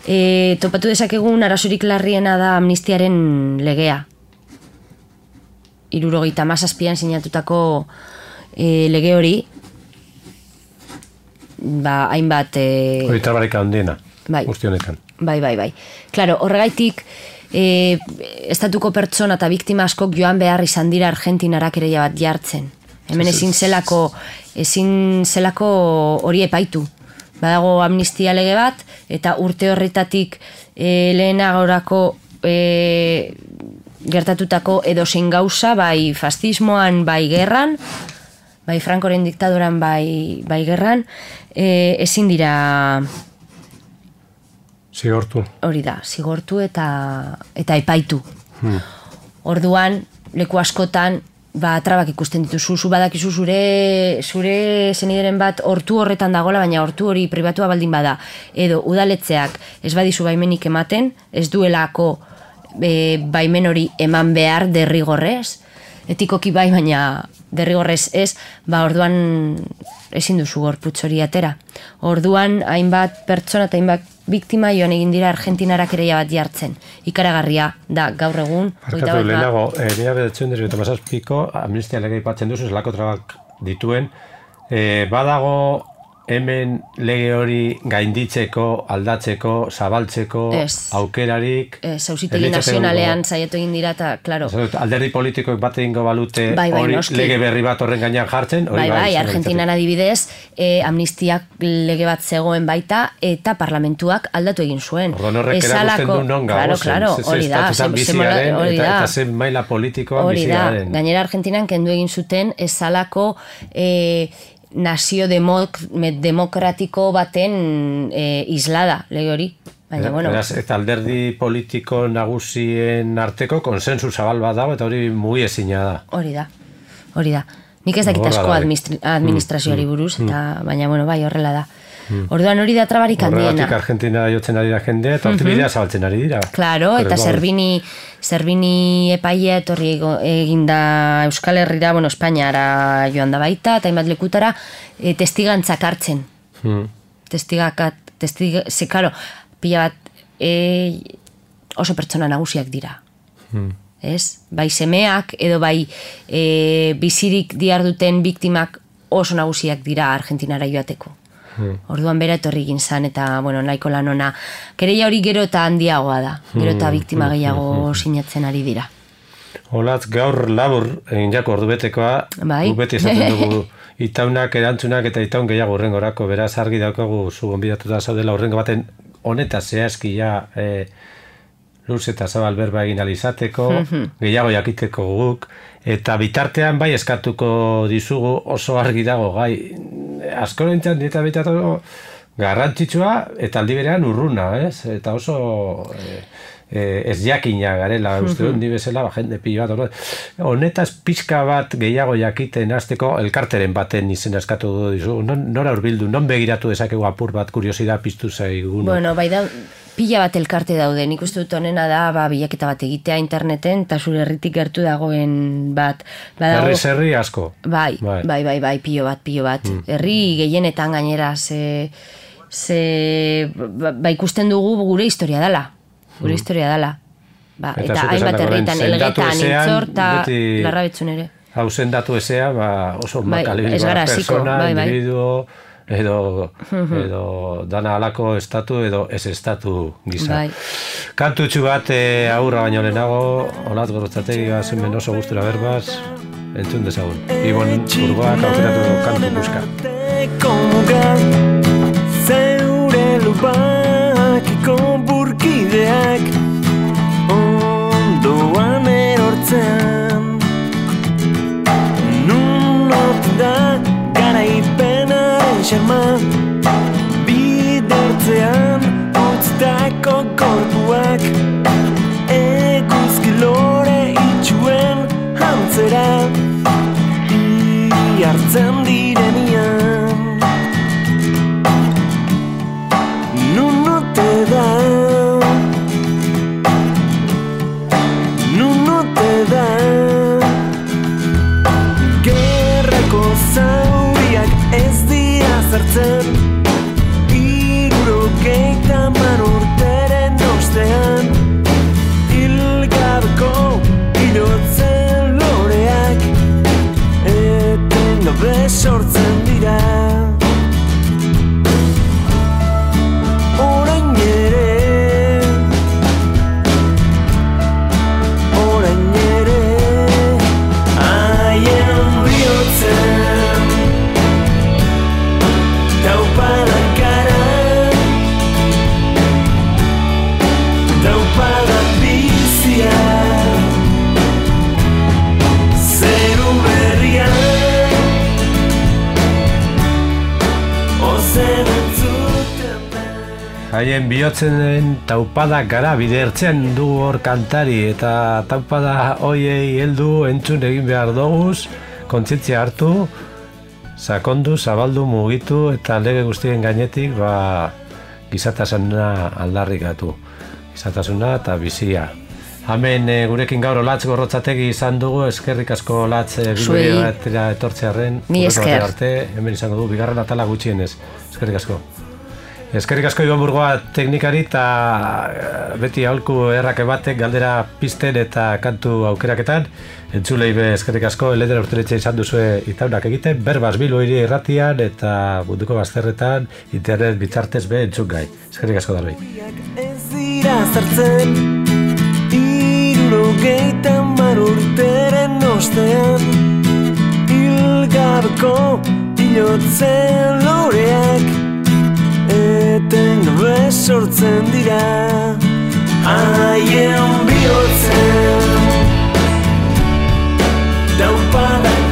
E, topatu dezakegun arazorik larriena da amnistiaren legea. Hirurogeita hamazazpian sinatutako e, lege hori, ba, hainbat... E, hori trabarik handiena, bai, guzti honetan. Bai, bai, bai. Claro, horregaitik, e, estatuko pertsona eta biktima askok joan behar izan dira Argentinara kereia bat jartzen. Hemen ezin zelako, ezin zelako hori epaitu. Badago amnistia lege bat, eta urte horretatik e, lehenagorako e, gertatutako edozein gauza, bai fascismoan, bai gerran, bai Francoren diktadoran, bai, bai gerran, e, ezin dira... Zigortu. Hori da, zigortu eta, eta epaitu. Hmm. Orduan, leku askotan, ba, trabak ikusten dituzu, zu badakizu zure, zure zenideren bat hortu horretan dagola, baina hortu hori pribatua baldin bada. Edo, udaletzeak ez badizu baimenik ematen, ez duelako e, baimen hori eman behar derrigorrez, etikoki bai, baina derrigorrez ez, ba, orduan ezin duzu gorputz hori atera. Orduan, hainbat pertsona eta hainbat biktima joan egin dira Argentinara kereia bat jartzen. Ikaragarria da gaur egun. Barkatu lehenago, mila bederatziehun eta hamazazpiko amnistia lege aipatzen duzu, zelako trabak dituen. E, badago hemen lege hori gainditzeko, aldatzeko, zabaltzeko, ez. Aukerarik... Ez, auzitegi nazionalean saiatu egin dira, eta, klaro... Alderdi politikoek bat egingo balute bai, bai, hori noski. Lege berri bat horren gainean jartzen. Bai, bai, bai Argentinan adibidez, eh, amnistiak lege bat zegoen baita, eta parlamentuak aldatu egin zuen. Orduan horrek erakusten du non claro, claro, hori da, biziaren, eta, eta zen maila politikoan biziaren. Gainera Argentinan kendu egin zuten esalako... Eh, nazio demok, demokratiko baten e, islada, lege hori. Baina, bueno. Beraz, eta alderdi politiko nagusien arteko konsensu zabal bat dago, eta hori mugi ezina da. Hori da, hori da. Nik ez dakit asko administrazioari buruz, eta, baina, bueno, bai, horrela da. Orduan hori da trabarik handiena. Horregatik Argentina jotzen ari da jendea, eta hortik bidea zabaltzen ari dira. Claro, eta Zerbini, Zerbini epaia etorri eginda Euskal Herrira, bueno, Espainiara joan da baita, eta hainbat lekutara, e, testigantzak hartzen. Hmm. Testigakat, testig, ze, karo, pila bat e, oso pertsona nagusiak dira. Hmm. Ez? Bai semeak, edo bai e, bizirik diarduten biktimak oso nagusiak dira Argentinara joateko. Hmm. Orduan bera etorri egin zan, eta bueno, nahiko lan ona. Kereia hori gero eta handiagoa da. Gero eta biktima gehiago sinatzen ari dira. Olatz, gaur labur egin jako ordu betekoa, bai. Gu beti esaten dugu itaunak, erantzunak eta itaun gehiago urrengorako, beraz argi daukagu zu gonbidatuta zaudela urrengo baten honetaz zehazki ja e, luz eta zabal berba egin alizateko, gehiago jakiteko guk, eta bitartean bai eskatuko dizugu oso argi dago, gai, asko nintzen eta bitatu garrantzitsua eta aldi berean urruna, ez? Eta oso e, e, ez jakina garela, uste dut, ni bezala, ba, jende pilo bat, honetaz pixka bat gehiago jakiten hasteko elkarteren baten izena eskatu dizugu, non, nora urbildu, non begiratu dezakegu apur bat kuriosidad piztu zaigun. Bueno, bai da, pila bat elkarte daude, nik uste dut honena da, ba, bilaketa bat egitea interneten, eta zure herritik gertu dagoen bat. Herri zerri asko. Bai, bai, bai, bai, bai, pilo bat, pilo bat. Mm. Herri gehienetan gainera, ze, ze, ba, ikusten dugu gure historia dela. Gure mm. historia dela. Ba, eta eta hainbat herritan, elgetan, intzor, eta larrabetzun ere. Hau zendatu ezea, ba, oso bai, makalibidoa persona, bai, bai. Individuo, edo, edo dana alako estatu edo ez estatu gisa. Bai. Kantutxu bat e, aurra baino lehenago, Olatz Gorrotxategi zen oso gustura berbaz, entzun dezagun. Ibon Burgoak aukeratu kantu buska. Zeure lubakiko burkideak ondoan erortzean nun da garaipenaren xerma bidertzean utztako korpuak eguzki lore itxuen hantzera iartzen direnian dira. Orain ere, orain ere, haien bihotzen taupadak gara, taupadak bizia, zeru berrian, ozen entzuten da. Haien bihotzen taupadak gara bide ertzean du hor kantari eta taupada hoiei heldu entzun egin behar doguz, kontzientzia hartu, sakondu, zabaldu, mugitu eta lege guztien gainetik ba, gizatasuna aldarrikatu. Gizatasuna eta bizia. Hemen e, gurekin gaur Olatz Gorrotzategi izan dugu, eskerrik asko Olatz e, Zuei. bilbide batera etortzearren. Ni Hurrengo esker. arte, hemen izango du, bigarren atala gutxienez. Eskerrik asko. Eskerrik asko Iban Burgoa teknikari eta eh, beti aholku errake batek galdera pisten eta kantu aukeraketan. Entzulei be eskerrik asko, eledera urteletxe izan duzue itaunak egiten, berbaz Bilbo hiri irratian eta munduko bazterretan, internet bitzartez be entzun gai. Eskerrik asko darbei. Ez dira zartzen, hirurogeita hamar urteren ostean, hilgabeko hilotzen loreak etengabe sortzen dira. Haien bihotzen taupadak